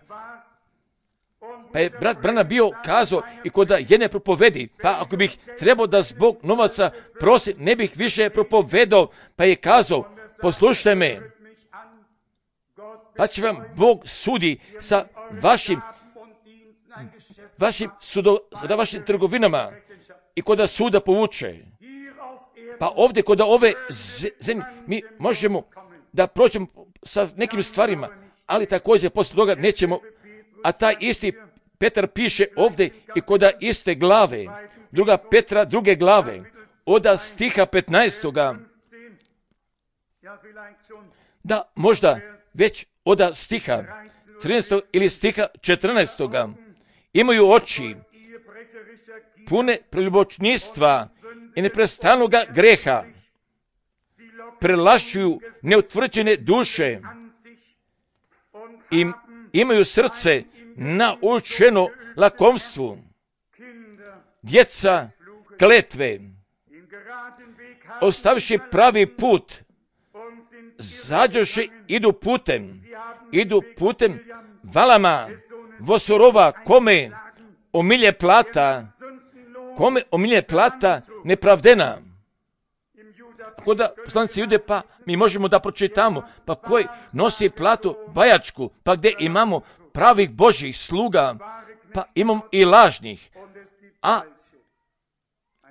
Pa je brat Branham bio kazao i kod jedne propovedi, pa ako bih trebao da zbog novaca prosi, ne bih više propovedao, pa je kazao, poslušajte me, pa će vam Bog sudi sa vašim trgovinama i kod suda povuče. Pa ovdje kod ove zemlje mi možemo da prođemo sa nekim stvarima, ali također poslije toga nećemo, a taj isti Petar piše ovdje i kod iste glave, 2. Petra 2. glave, od stiha 15. Da možda već od stiha 13. ili stiha 14. imaju oči pune preljubočništva i neprestanoga greha, prelašuju neutvrđene duše i imaju srce naučeno lakomstvu. Djeca kletve, ostavivši pravi put, zađoše idu putem valama vosorova, kome omilje plata nepravdena. Ako da poslanici Jude, pa mi možemo da pročitamo, pa koji nosi platu bajačku, pa gdje imamo pravih Božjih sluga, pa imamo i lažnih. A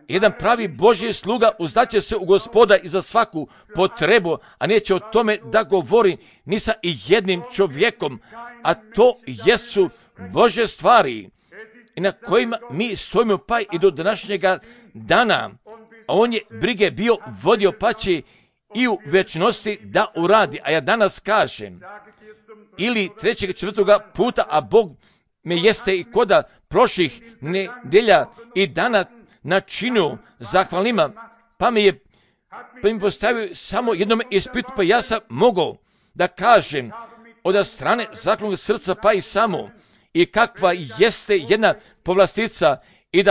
jedan pravi Božji sluga uzdaće se u Gospoda i za svaku potrebu, a neće o tome da govori ni sa i jednim čovjekom, a to jesu Božje stvari i na kojima mi stojimo pa i do današnjega dana. A on je brige bio vodio, pa će i u večnosti da uradi. A ja danas kažem, ili 3. 4. puta, a Bog me jeste i koda prošlih nedelja i dana načinio zahvalnima, pa mi postavio samo jednom ispitu, pa ja sam mogao da kažem od strane zahvalnog srca, pa i samo, i kakva jeste jedna povlastica, i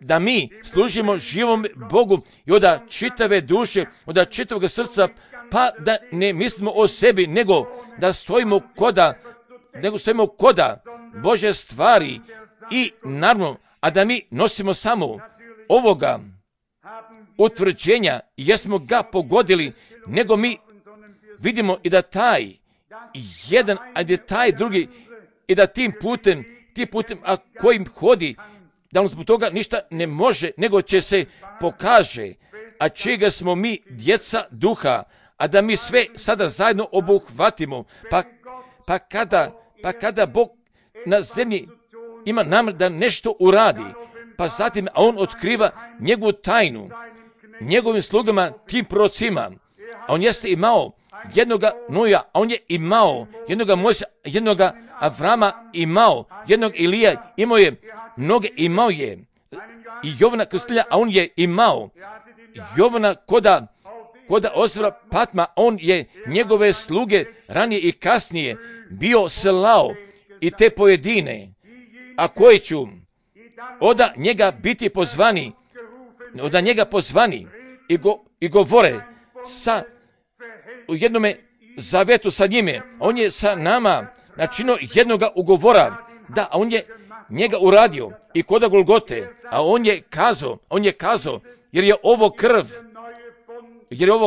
da mi služimo živom Bogu i od čitave duše, od čitavog srca, pa da ne mislimo o sebi, nego da stojimo koda Božje stvari i naravno, a da mi nosimo samo ovoga utvrđenja, jesmo ga pogodili, nego mi vidimo i da taj jedan, a da taj drugi, i da tim putem, a kojim hodi, da on zbog toga ništa ne može, nego će se pokaže, a čega smo mi djeca duha, a da mi sve sada zajedno obuhvatimo, pa kada Bog na zemlji ima namjer da nešto uradi, pa zatim a on otkriva njegovu tajnu, njegovim slugama, tim prorocima, a on jeste imao jednoga Noja, a on je imao jednoga Mojsija, jednoga Avrama imao, jednog Ilija, imao je mnoge, imao je i Jovana Krstitelja, a on je imao Jovana koda Ozra Patma, on je njegove sluge ranije i kasnije bio slao i te pojedine, a koji ću od njega biti pozvani, i govore sa u jednome zavetu sa njime. On je sa nama načinio jednoga ugovora, da, a on je njega uradio i koda Golgote, a on je kazao, jer je ovo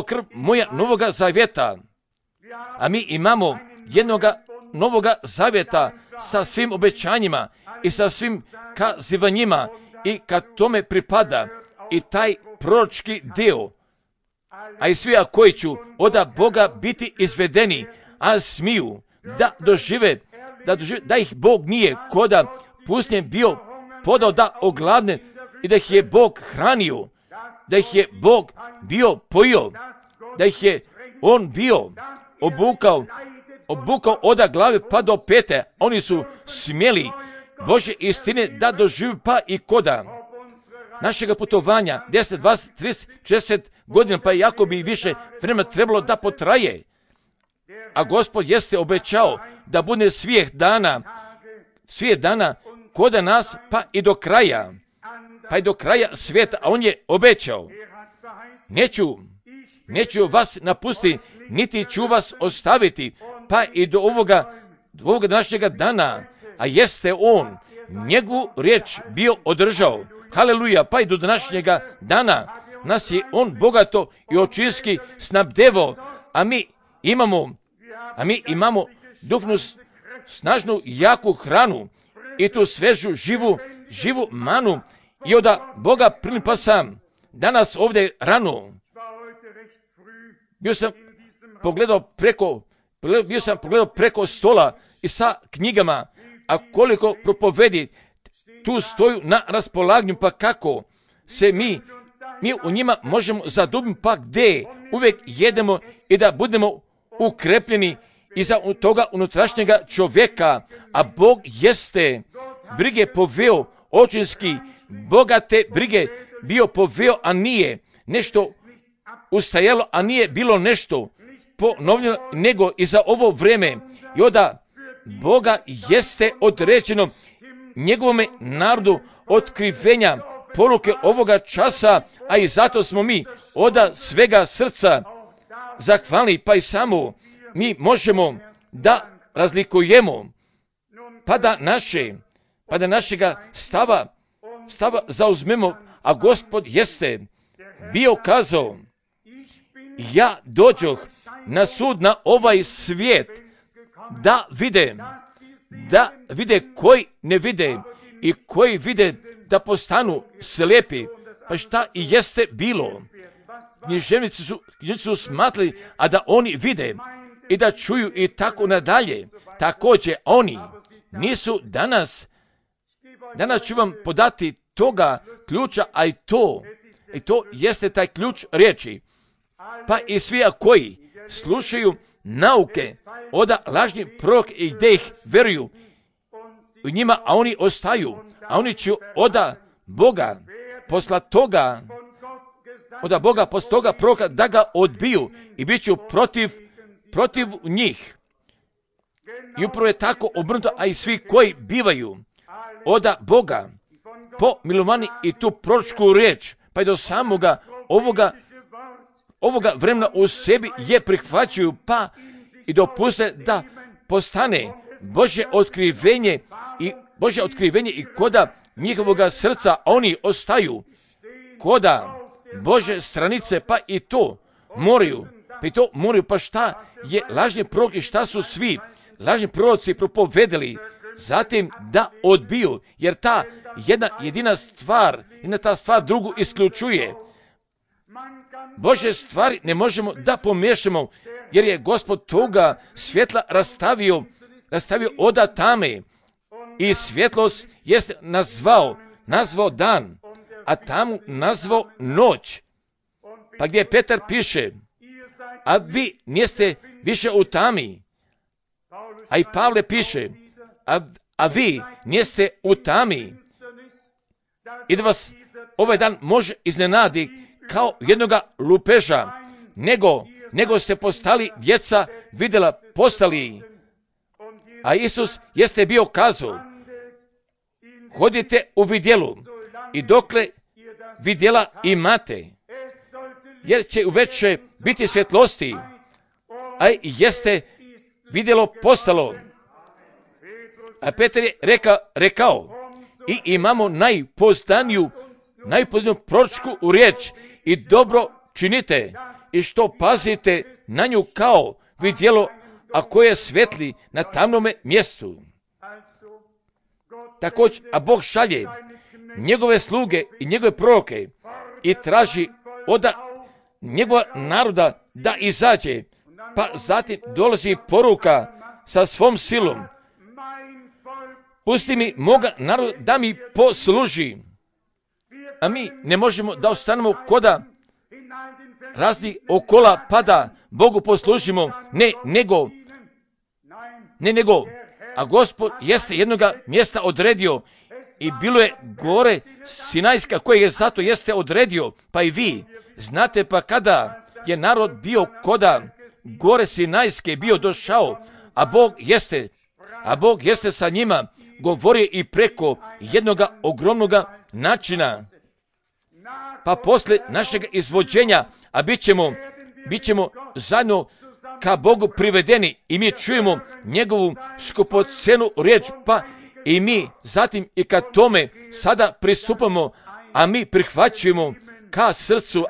krv moja novoga zavjeta, a mi imamo jednoga novoga zavjeta sa svim obećanjima i sa svim kazivanjima, i kad tome pripada i taj proročki dio, a i svi koji ću od Boga biti izvedeni, a smiju da dožive, da ih Bog nije koda pustinjem bio podao da ogladne i da ih je Bog hranio, da ih je Bog bio pojio, da ih je On bio obukao od glave pa do pete. Oni su smjeli Božje istine da doživi pa i koda našega putovanja 10, 20, 30, 40 godina, pa jako bi više vremena trebalo da potraje. A Gospod jeste obećao da bude svih dana koda nas pa i do kraja svijeta, a On je obećao: neću vas napustiti, niti ću vas ostaviti, pa i do ovoga današnjega dana, a jeste On njegovu riječ bio održao. Haleluja, pa i do današnjega dana nas je On bogato i očinski snabdevo, a mi imamo duhovnu, snažnu, jaku hranu i tu svežu, živu manu i od Boga prilipa sam danas ovdje rano. Bio sam pogledao preko stola i sa knjigama, a koliko propovedi tu stoju na raspolaganju, pa kako se mi u njima možemo zadubiti, pa gdje uvijek jedemo i da budemo ukrepljeni iza toga unutrašnjega čovjeka, a Bog jeste brige poveo, očinski bogate brige bio poveo, a nije nešto ustajalo, a nije bilo nešto ponovljeno, nego i za ovo vrijeme. I onda Boga jeste određeno njegovome narodu otkrivenja poruke ovoga časa, a i zato smo mi od svega srca zahvalni, pa i samo mi možemo da razlikujemo, pa da našega stava zauzmemo, a Gospod jeste bio kazao: ja dođoh na sud na ovaj svijet da vide koji ne vide i koji vide da postanu slijepi. Pa šta i jeste bilo? Književnici su smatrali, a da oni vide i da čuju i tako nadalje. Također oni nisu danas ću vam podati toga ključa, a i to jeste taj ključ riječi. Pa i svi koji slušaju nauke od lažnih proroka i gdje ih veruju u njima, a oni ostaju, a oni će od Boga posla toga proroka da ga odbiju i bit ću protiv njih. I upravo je tako obrnuto, a i svi koji bivaju od Boga pomilovani i tu proročku riječ, pa i do samoga ovoga vremena u sebi je prihvaćaju, pa i dopuste da postane Božje otkrivenje i koda njihovoga srca, oni ostaju koda Bože stranice, pa i to moraju, pa šta je lažni prorok i šta su svi lažni proroci propovedali, zatim da odbiju, jer ta jedina ta stvar drugu isključuje. Božje stvari ne možemo da pomiješamo, jer je Gospod toga svjetla rastavio od tame i svjetlost jest nazvao dan, a tamu nazvao noć. Pa gdje Petar piše: a vi niste više u tami. A i Pavle piše: a vi niste u tami. I da vas ovaj dan može iznenadi kao jednoga lupeža, nego ste postali djeca vidjela postali. A Isus jeste bio kazao: hodite u vidjelu i dokle vidjela imate, jer će uveče biti svjetlosti, a jeste vidjelo postalo. A Petar je rekao: i imamo najpoznaniju proročku u riječ i dobro činite i što pazite na nju kao vidjelo, a koje svetli na tamnome mjestu. Također, a Bog šalje njegove sluge i njegove proroke i traži od njegova naroda da izađe, pa zatim dolazi poruka sa svom silom. Pusti mi moga naroda da mi posluži. A mi ne možemo da ostanemo koda raznih okola pa da Bogu poslužimo. Ne nego, a Gospod jeste jednoga mjesta odredio i bilo je gore Sinajska koje je zato jeste odredio, pa i vi znate, pa kada je narod bio koda gore Sinajske bio došao, a Bog jeste sa njima govorio i preko jednoga ogromnoga načina. Pa posle našeg izvođenja, a bit ćemo zajedno ka Bogu privedeni i mi čujemo njegovu skupocenu riječ, pa i mi zatim i ka tome sada pristupamo, a mi prihvaćujemo ka srcu,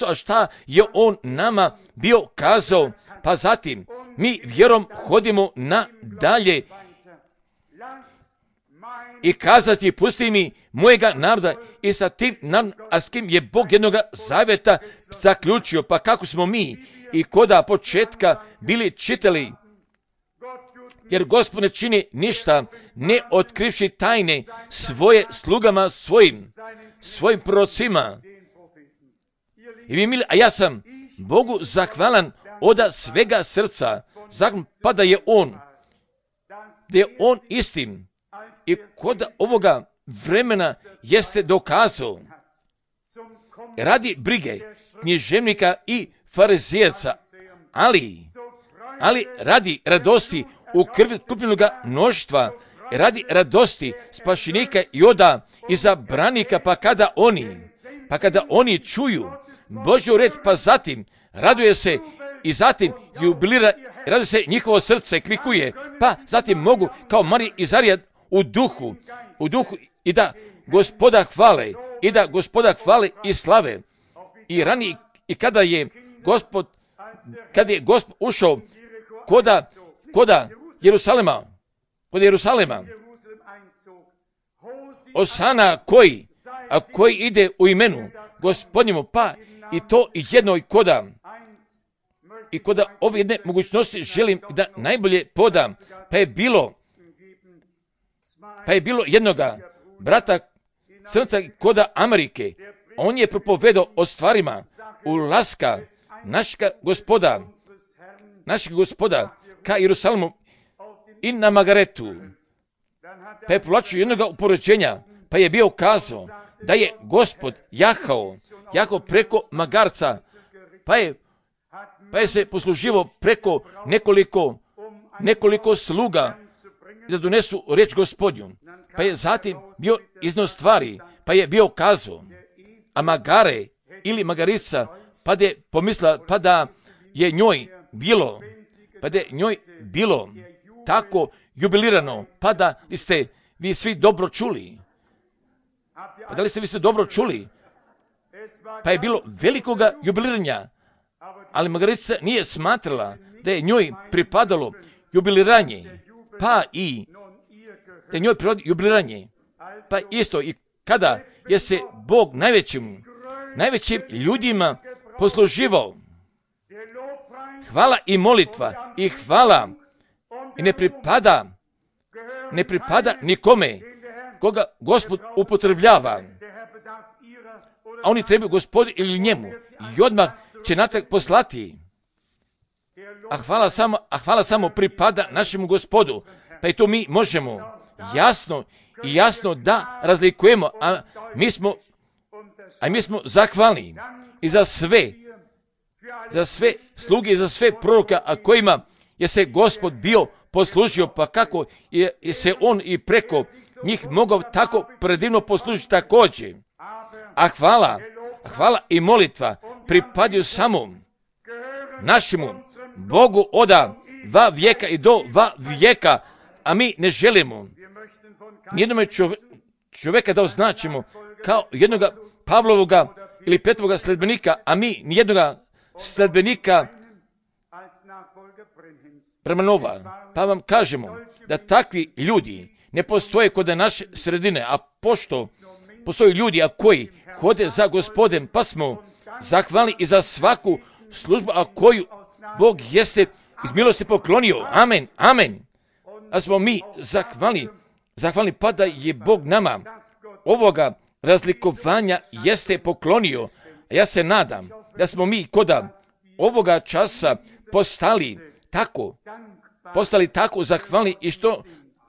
a šta je on nama bio kazao, pa zatim mi vjerom hodimo nadalje i kazati, pusti mi mojega naroda i sa tim a s kim je Bog jednoga zavjeta zaključio, pa kako smo mi i koda početka bili čitali, jer Gospod ne čini ništa ne otkrivši tajne svoje slugama svojim prorocima. I vi mili, a ja sam Bogu zahvalan od svega srca, pa da je on istim i kod ovoga vremena jeste dokazao radi brige književnika i farizijaca, ali radi radosti u krvi kupljenoga mnoštva, radi radosti spašenika i oda izabranika, pa kada oni čuju Božju reč, pa zatim raduje se i zatim jubilira, raduje se njihovo srce kvikuje, pa zatim mogu kao Marija i Zarija u duhu i da Gospoda hvale i slave. I ranije, i kada je Gospod ušao koda Jerusalema, Osana koji ide u imenu Gospodnjemu, pa i to jedno i koda ove jedne mogućnosti želim da najbolje podam, pa je bilo jednoga brata crnca koda Amerike, on je propovedao o stvarima ulaska našeg gospoda ka Jerusalimu i na Magaretu, pa je povlačio jednoga upoređenja, pa je bio kazao da je Gospod jahao preko magarca, pa je se posluživo preko nekoliko sluga da donesu riječ Gospodnju, pa je zatim bio iznos stvari, pa je bio kazao, a magare ili magarica, pa da je pomislila, pa da je njoj bilo tako jubilirano, pa da li ste vi svi dobro čuli? Pa je bilo velikoga jubiliranja, ali magarica nije smatrala da je njoj pripadalo jubiliranje, pa i da je njoj pripadalo jubiliranje, pa isto i kada je se Bog najvećim ljudima posluživao, hvala i molitva i hvala i ne pripada nikome koga Gospod upotrebljava, a oni trebaju Gospodu ili njemu i odmah će natrag poslati, a hvala samo pripada našemu Gospodu, pa i to mi možemo jasno da razlikujemo, a mi smo zahvalni i za sve sluge i za sve proroka, a kojima je se Gospod bio poslužio, pa kako je se on i preko njih mogao tako predivno poslužiti također. A hvala i molitva pripadaju samo našemu Bogu oda va vijeka i do va vijeka, a mi ne želimo nijednome čovjeka da označimo kao jednoga Pavlovoga ili Petrovoga sledbenika, a mi nijednoga sledbenika Bramanova. Pa vam kažemo da takvi ljudi ne postoje kod naše sredine, a pošto postoje ljudi koji hode za Gospodem, pa smo zahvalni i za svaku službu koju Bog jeste iz milosti poklonio. Amen, amen. A smo mi zahvalni pa da je Bog nama ovoga razlikovanja jeste poklonio. Ja se nadam da smo mi koda ovoga časa postali tako zahvalni i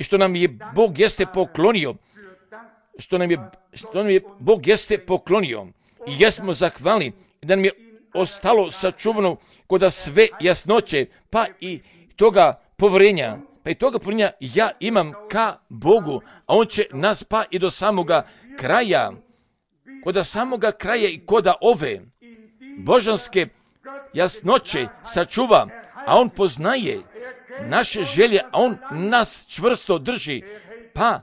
što nam je Bog jeste poklonio. Što nam je Bog jeste poklonio. I jesmo zahvalni da nam je ostalo sačuvano koda sve jasnoće, pa i toga povjerenja. Pa i toga povjerenja ja imam ka Bogu, a On će nas pa i do samoga kraja, koda samoga kraja i koda ove božanske jasnoće sačuva, a On poznaje naše želje, a On nas čvrsto drži, pa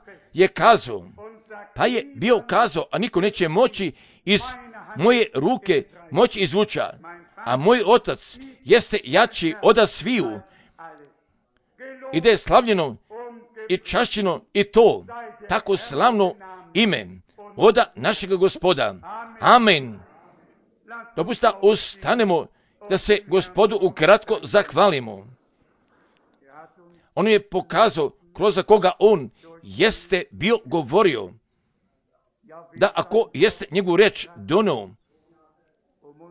je bio kazao, a niko neće moći iz moje ruke moći izvuča, a moj otac jeste jači od sviju i da je slavljeno i čašćeno i to tako slavno ime oda našega Gospoda. Amen. Dopusta ustanemo da se Gospodu ukratko zahvalimo. On je pokazao kroz koga on jeste bio govorio, da ako jeste njegovu reč donio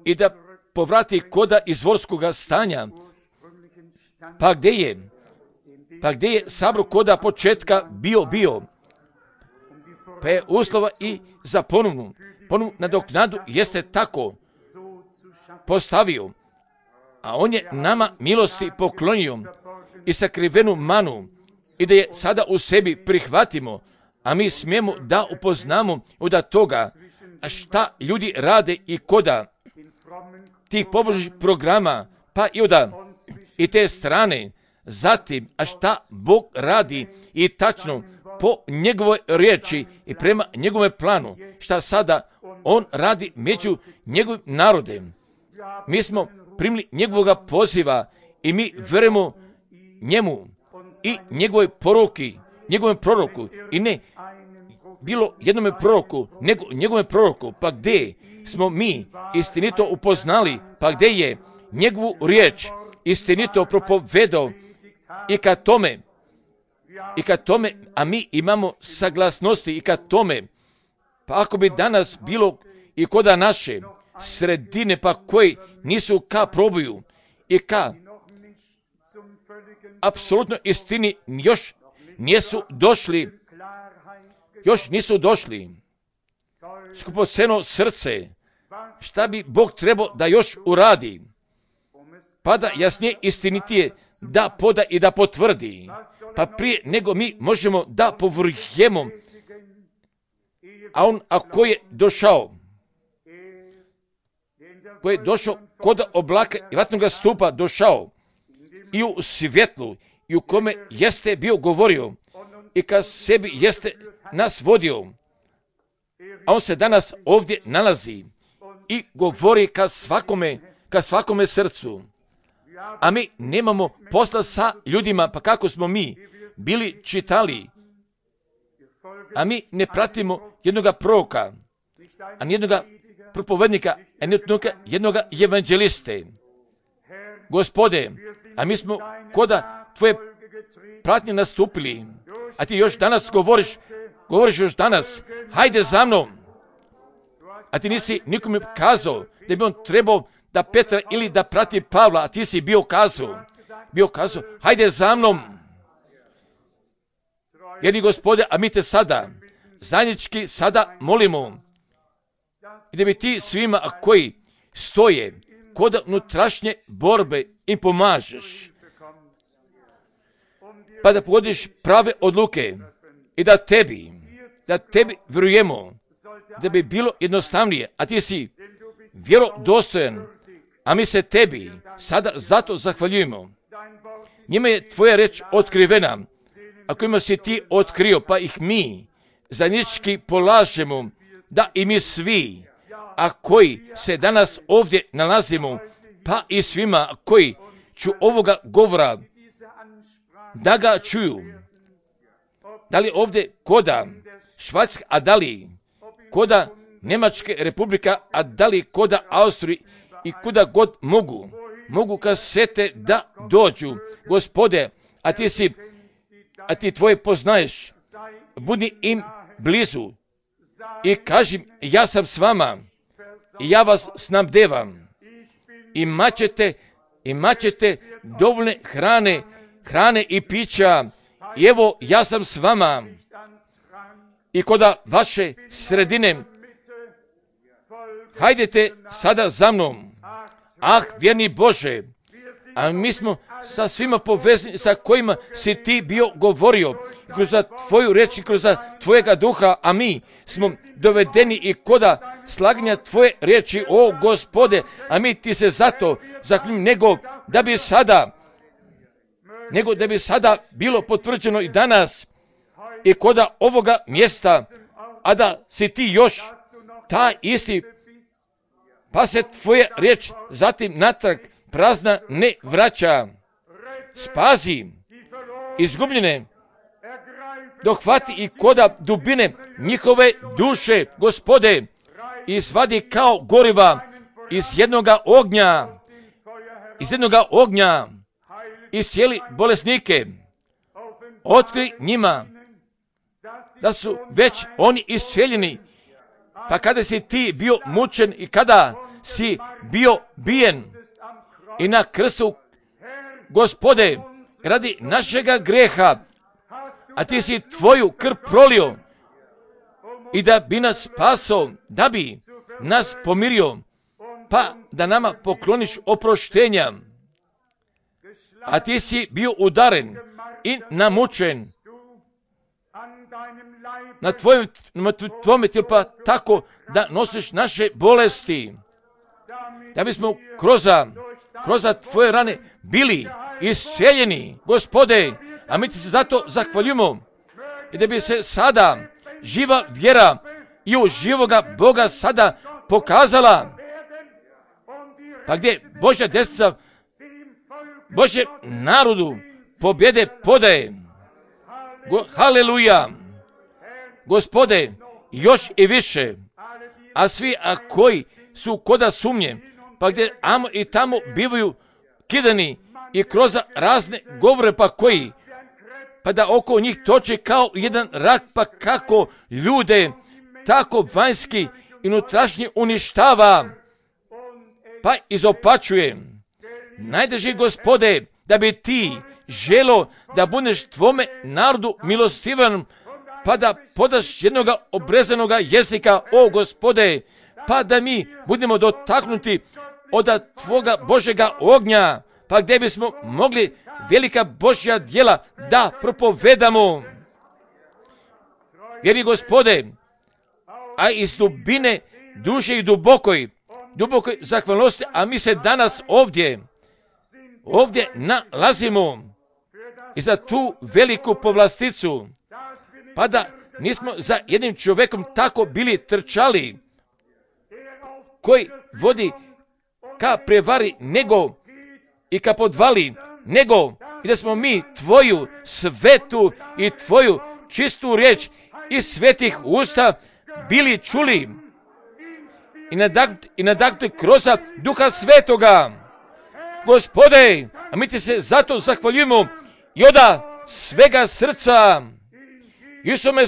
i da povrati koda izvorskoga stanja, pa gdje je sabro koda početka bio, pa je uslova i za ponovnu nadoknadu jeste tako postavio, a on je nama milosti poklonio i sakrivenu manu i da je sada u sebi prihvatimo, a mi smijemo da upoznamo od toga šta ljudi rade i koda tih pobožnih programa, pa i te strane, zatim, a šta Bog radi i tačno po njegovoj riječi i prema njegovom planu, šta sada on radi među njegovim narodem. Mi smo primili njegovoga poziva i mi verujemo njemu i njegovoj poruki, njegovom proroku, i ne bilo jednome proroku, nego njegovom proroku, pa gdje smo mi istinito upoznali, pa gdje je njegovu riječ istinito propovedao i kad tome, a mi imamo saglasnosti i kad tome, pa ako bi danas bilo i koda naše sredine, pa koji nisu ka probuju i ka apsolutno istini još nisu došli, skupoceno srce, šta bi Bog trebao da još uradi, pa da jasnije istinitije da poda i da potvrdi, pa prije nego mi možemo da povrjemo, a on ako je došao kod oblaka i vatnoga stupa došao i u svjetlu i u kome jeste bio govorio i kad sebi jeste nas vodio, a on se danas ovdje nalazi i govori ka svakome srcu. A mi nemamo posla sa ljudima, pa kako smo mi bili čitali, a mi ne pratimo jednoga proroka, a jednoga propovednika, a jednoga evanđeliste. Gospode, a mi smo koda tvoje pratnje nastupili, a ti još danas govoriš još danas, hajde za mnom, a ti nisi nikome kazao da bi on trebao da Petra ili da prati Pavla, a ti si bio kazao, hajde za mnom. Jedni Gospode, a mi te sada, zajednički sada molimo, i da bi ti svima koji stoje kod unutrašnje borbe im pomažeš, pa da pogodiš prave odluke i da tebi vjerujemo, da bi bilo jednostavnije, a ti si vjerodostojan, a mi se tebi sada zato zahvaljujemo. Njima je tvoja reč otkrivena, a kojima si ti otkrio, pa ih mi zajednički polažemo, da i mi svi, a koji se danas ovdje nalazimo, pa i svima koji ću ovoga govora da ga čuju, da li ovdje koda Švajcarska, a da li koda Njemačke republika, a da li koda Austrije i kuda god mogu, mogu kasete da dođu. Gospode, a ti tvoje poznaješ, budi im blizu i kaži, ja sam s vama i ja vas snabdevam. Imaćete dovoljne hrane i pića. I evo, ja sam s vama. I koda vaše sredine, hajdete sada za mnom. Ah, vjerni Bože, a mi smo sa svima povezani sa kojima si ti bio govorio, kroz tvoju reč i kroz tvojega duha, a mi smo dovedeni i koda slaganja tvoje riječi, o Gospode, a mi ti se zato zahvaljujem, nego da bi sada bilo potvrđeno i danas i koda ovoga mjesta, a da si ti još taj isti, pa se tvoja riječ zatim natrag prazna ne vraća. Spazi izgubljene, dohvati i koda dubine njihove duše, Gospode, izvadi kao goriva iz jednoga ognja, iscijeli bolesnike, otkri njima da su već oni iscijeljeni, pa kada si ti bio mučen i kada si bio bijen i na krstu, Gospode, radi našega greha, a ti si tvoju krv prolio i da bi nas spasao, da bi nas pomirio, pa da nama pokloniš oproštenja. A ti si bio udaren i namučen na tvome tijelu, pa tako da nosiš naše bolesti, da bismo kroz tvoje rane bili iscijeljeni, Gospode, a mi ti se zato zahvaljujemo i da bi se sada živa vjera i u živoga Boga sada pokazala, pa gdje Božja desnica Božje narodu pobjede podaje. Haleluja! Gospode, još i više, a svi koji su koda sumnje, pa gdje amo i tamo bivaju kidani i kroz razne govore, pa da oko njih toče kao jedan rak, pa kako ljude tako vanjski i unutrašnji uništava, pa izopačuje. Najdrži, Gospode, da bi ti želo da budeš tvome narodu milostivan, pa da podaš jednoga obrezanoga jezika, o Gospode, pa da mi budemo dotaknuti od tvoga Božega ognja, pa gdje bismo mogli velika Božja djela da propovedamo. Jer i Gospode, a iz dubine duše i dubokoj zahvalnosti, a mi se danas ovdje nalazimo i za tu veliku povlasticu, pa da nismo za jednim čovjekom tako bili trčali, koji vodi ka prevari nego i ka podvali, nego i da smo mi tvoju svetu i tvoju čistu riječ iz svetih usta bili čuli i nadahnuti kroz Duha Svetoga. Gospode, a mi ti se zato zahvaljujemo i od svega srca Isuse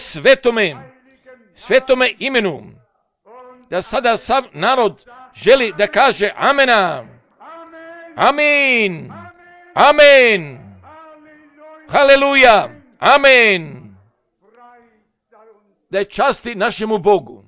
svetome imenu, da sada sav narod želi da kaže amena. Amin. Amen. Haleluja. Amen. Da je časti našemu Bogu.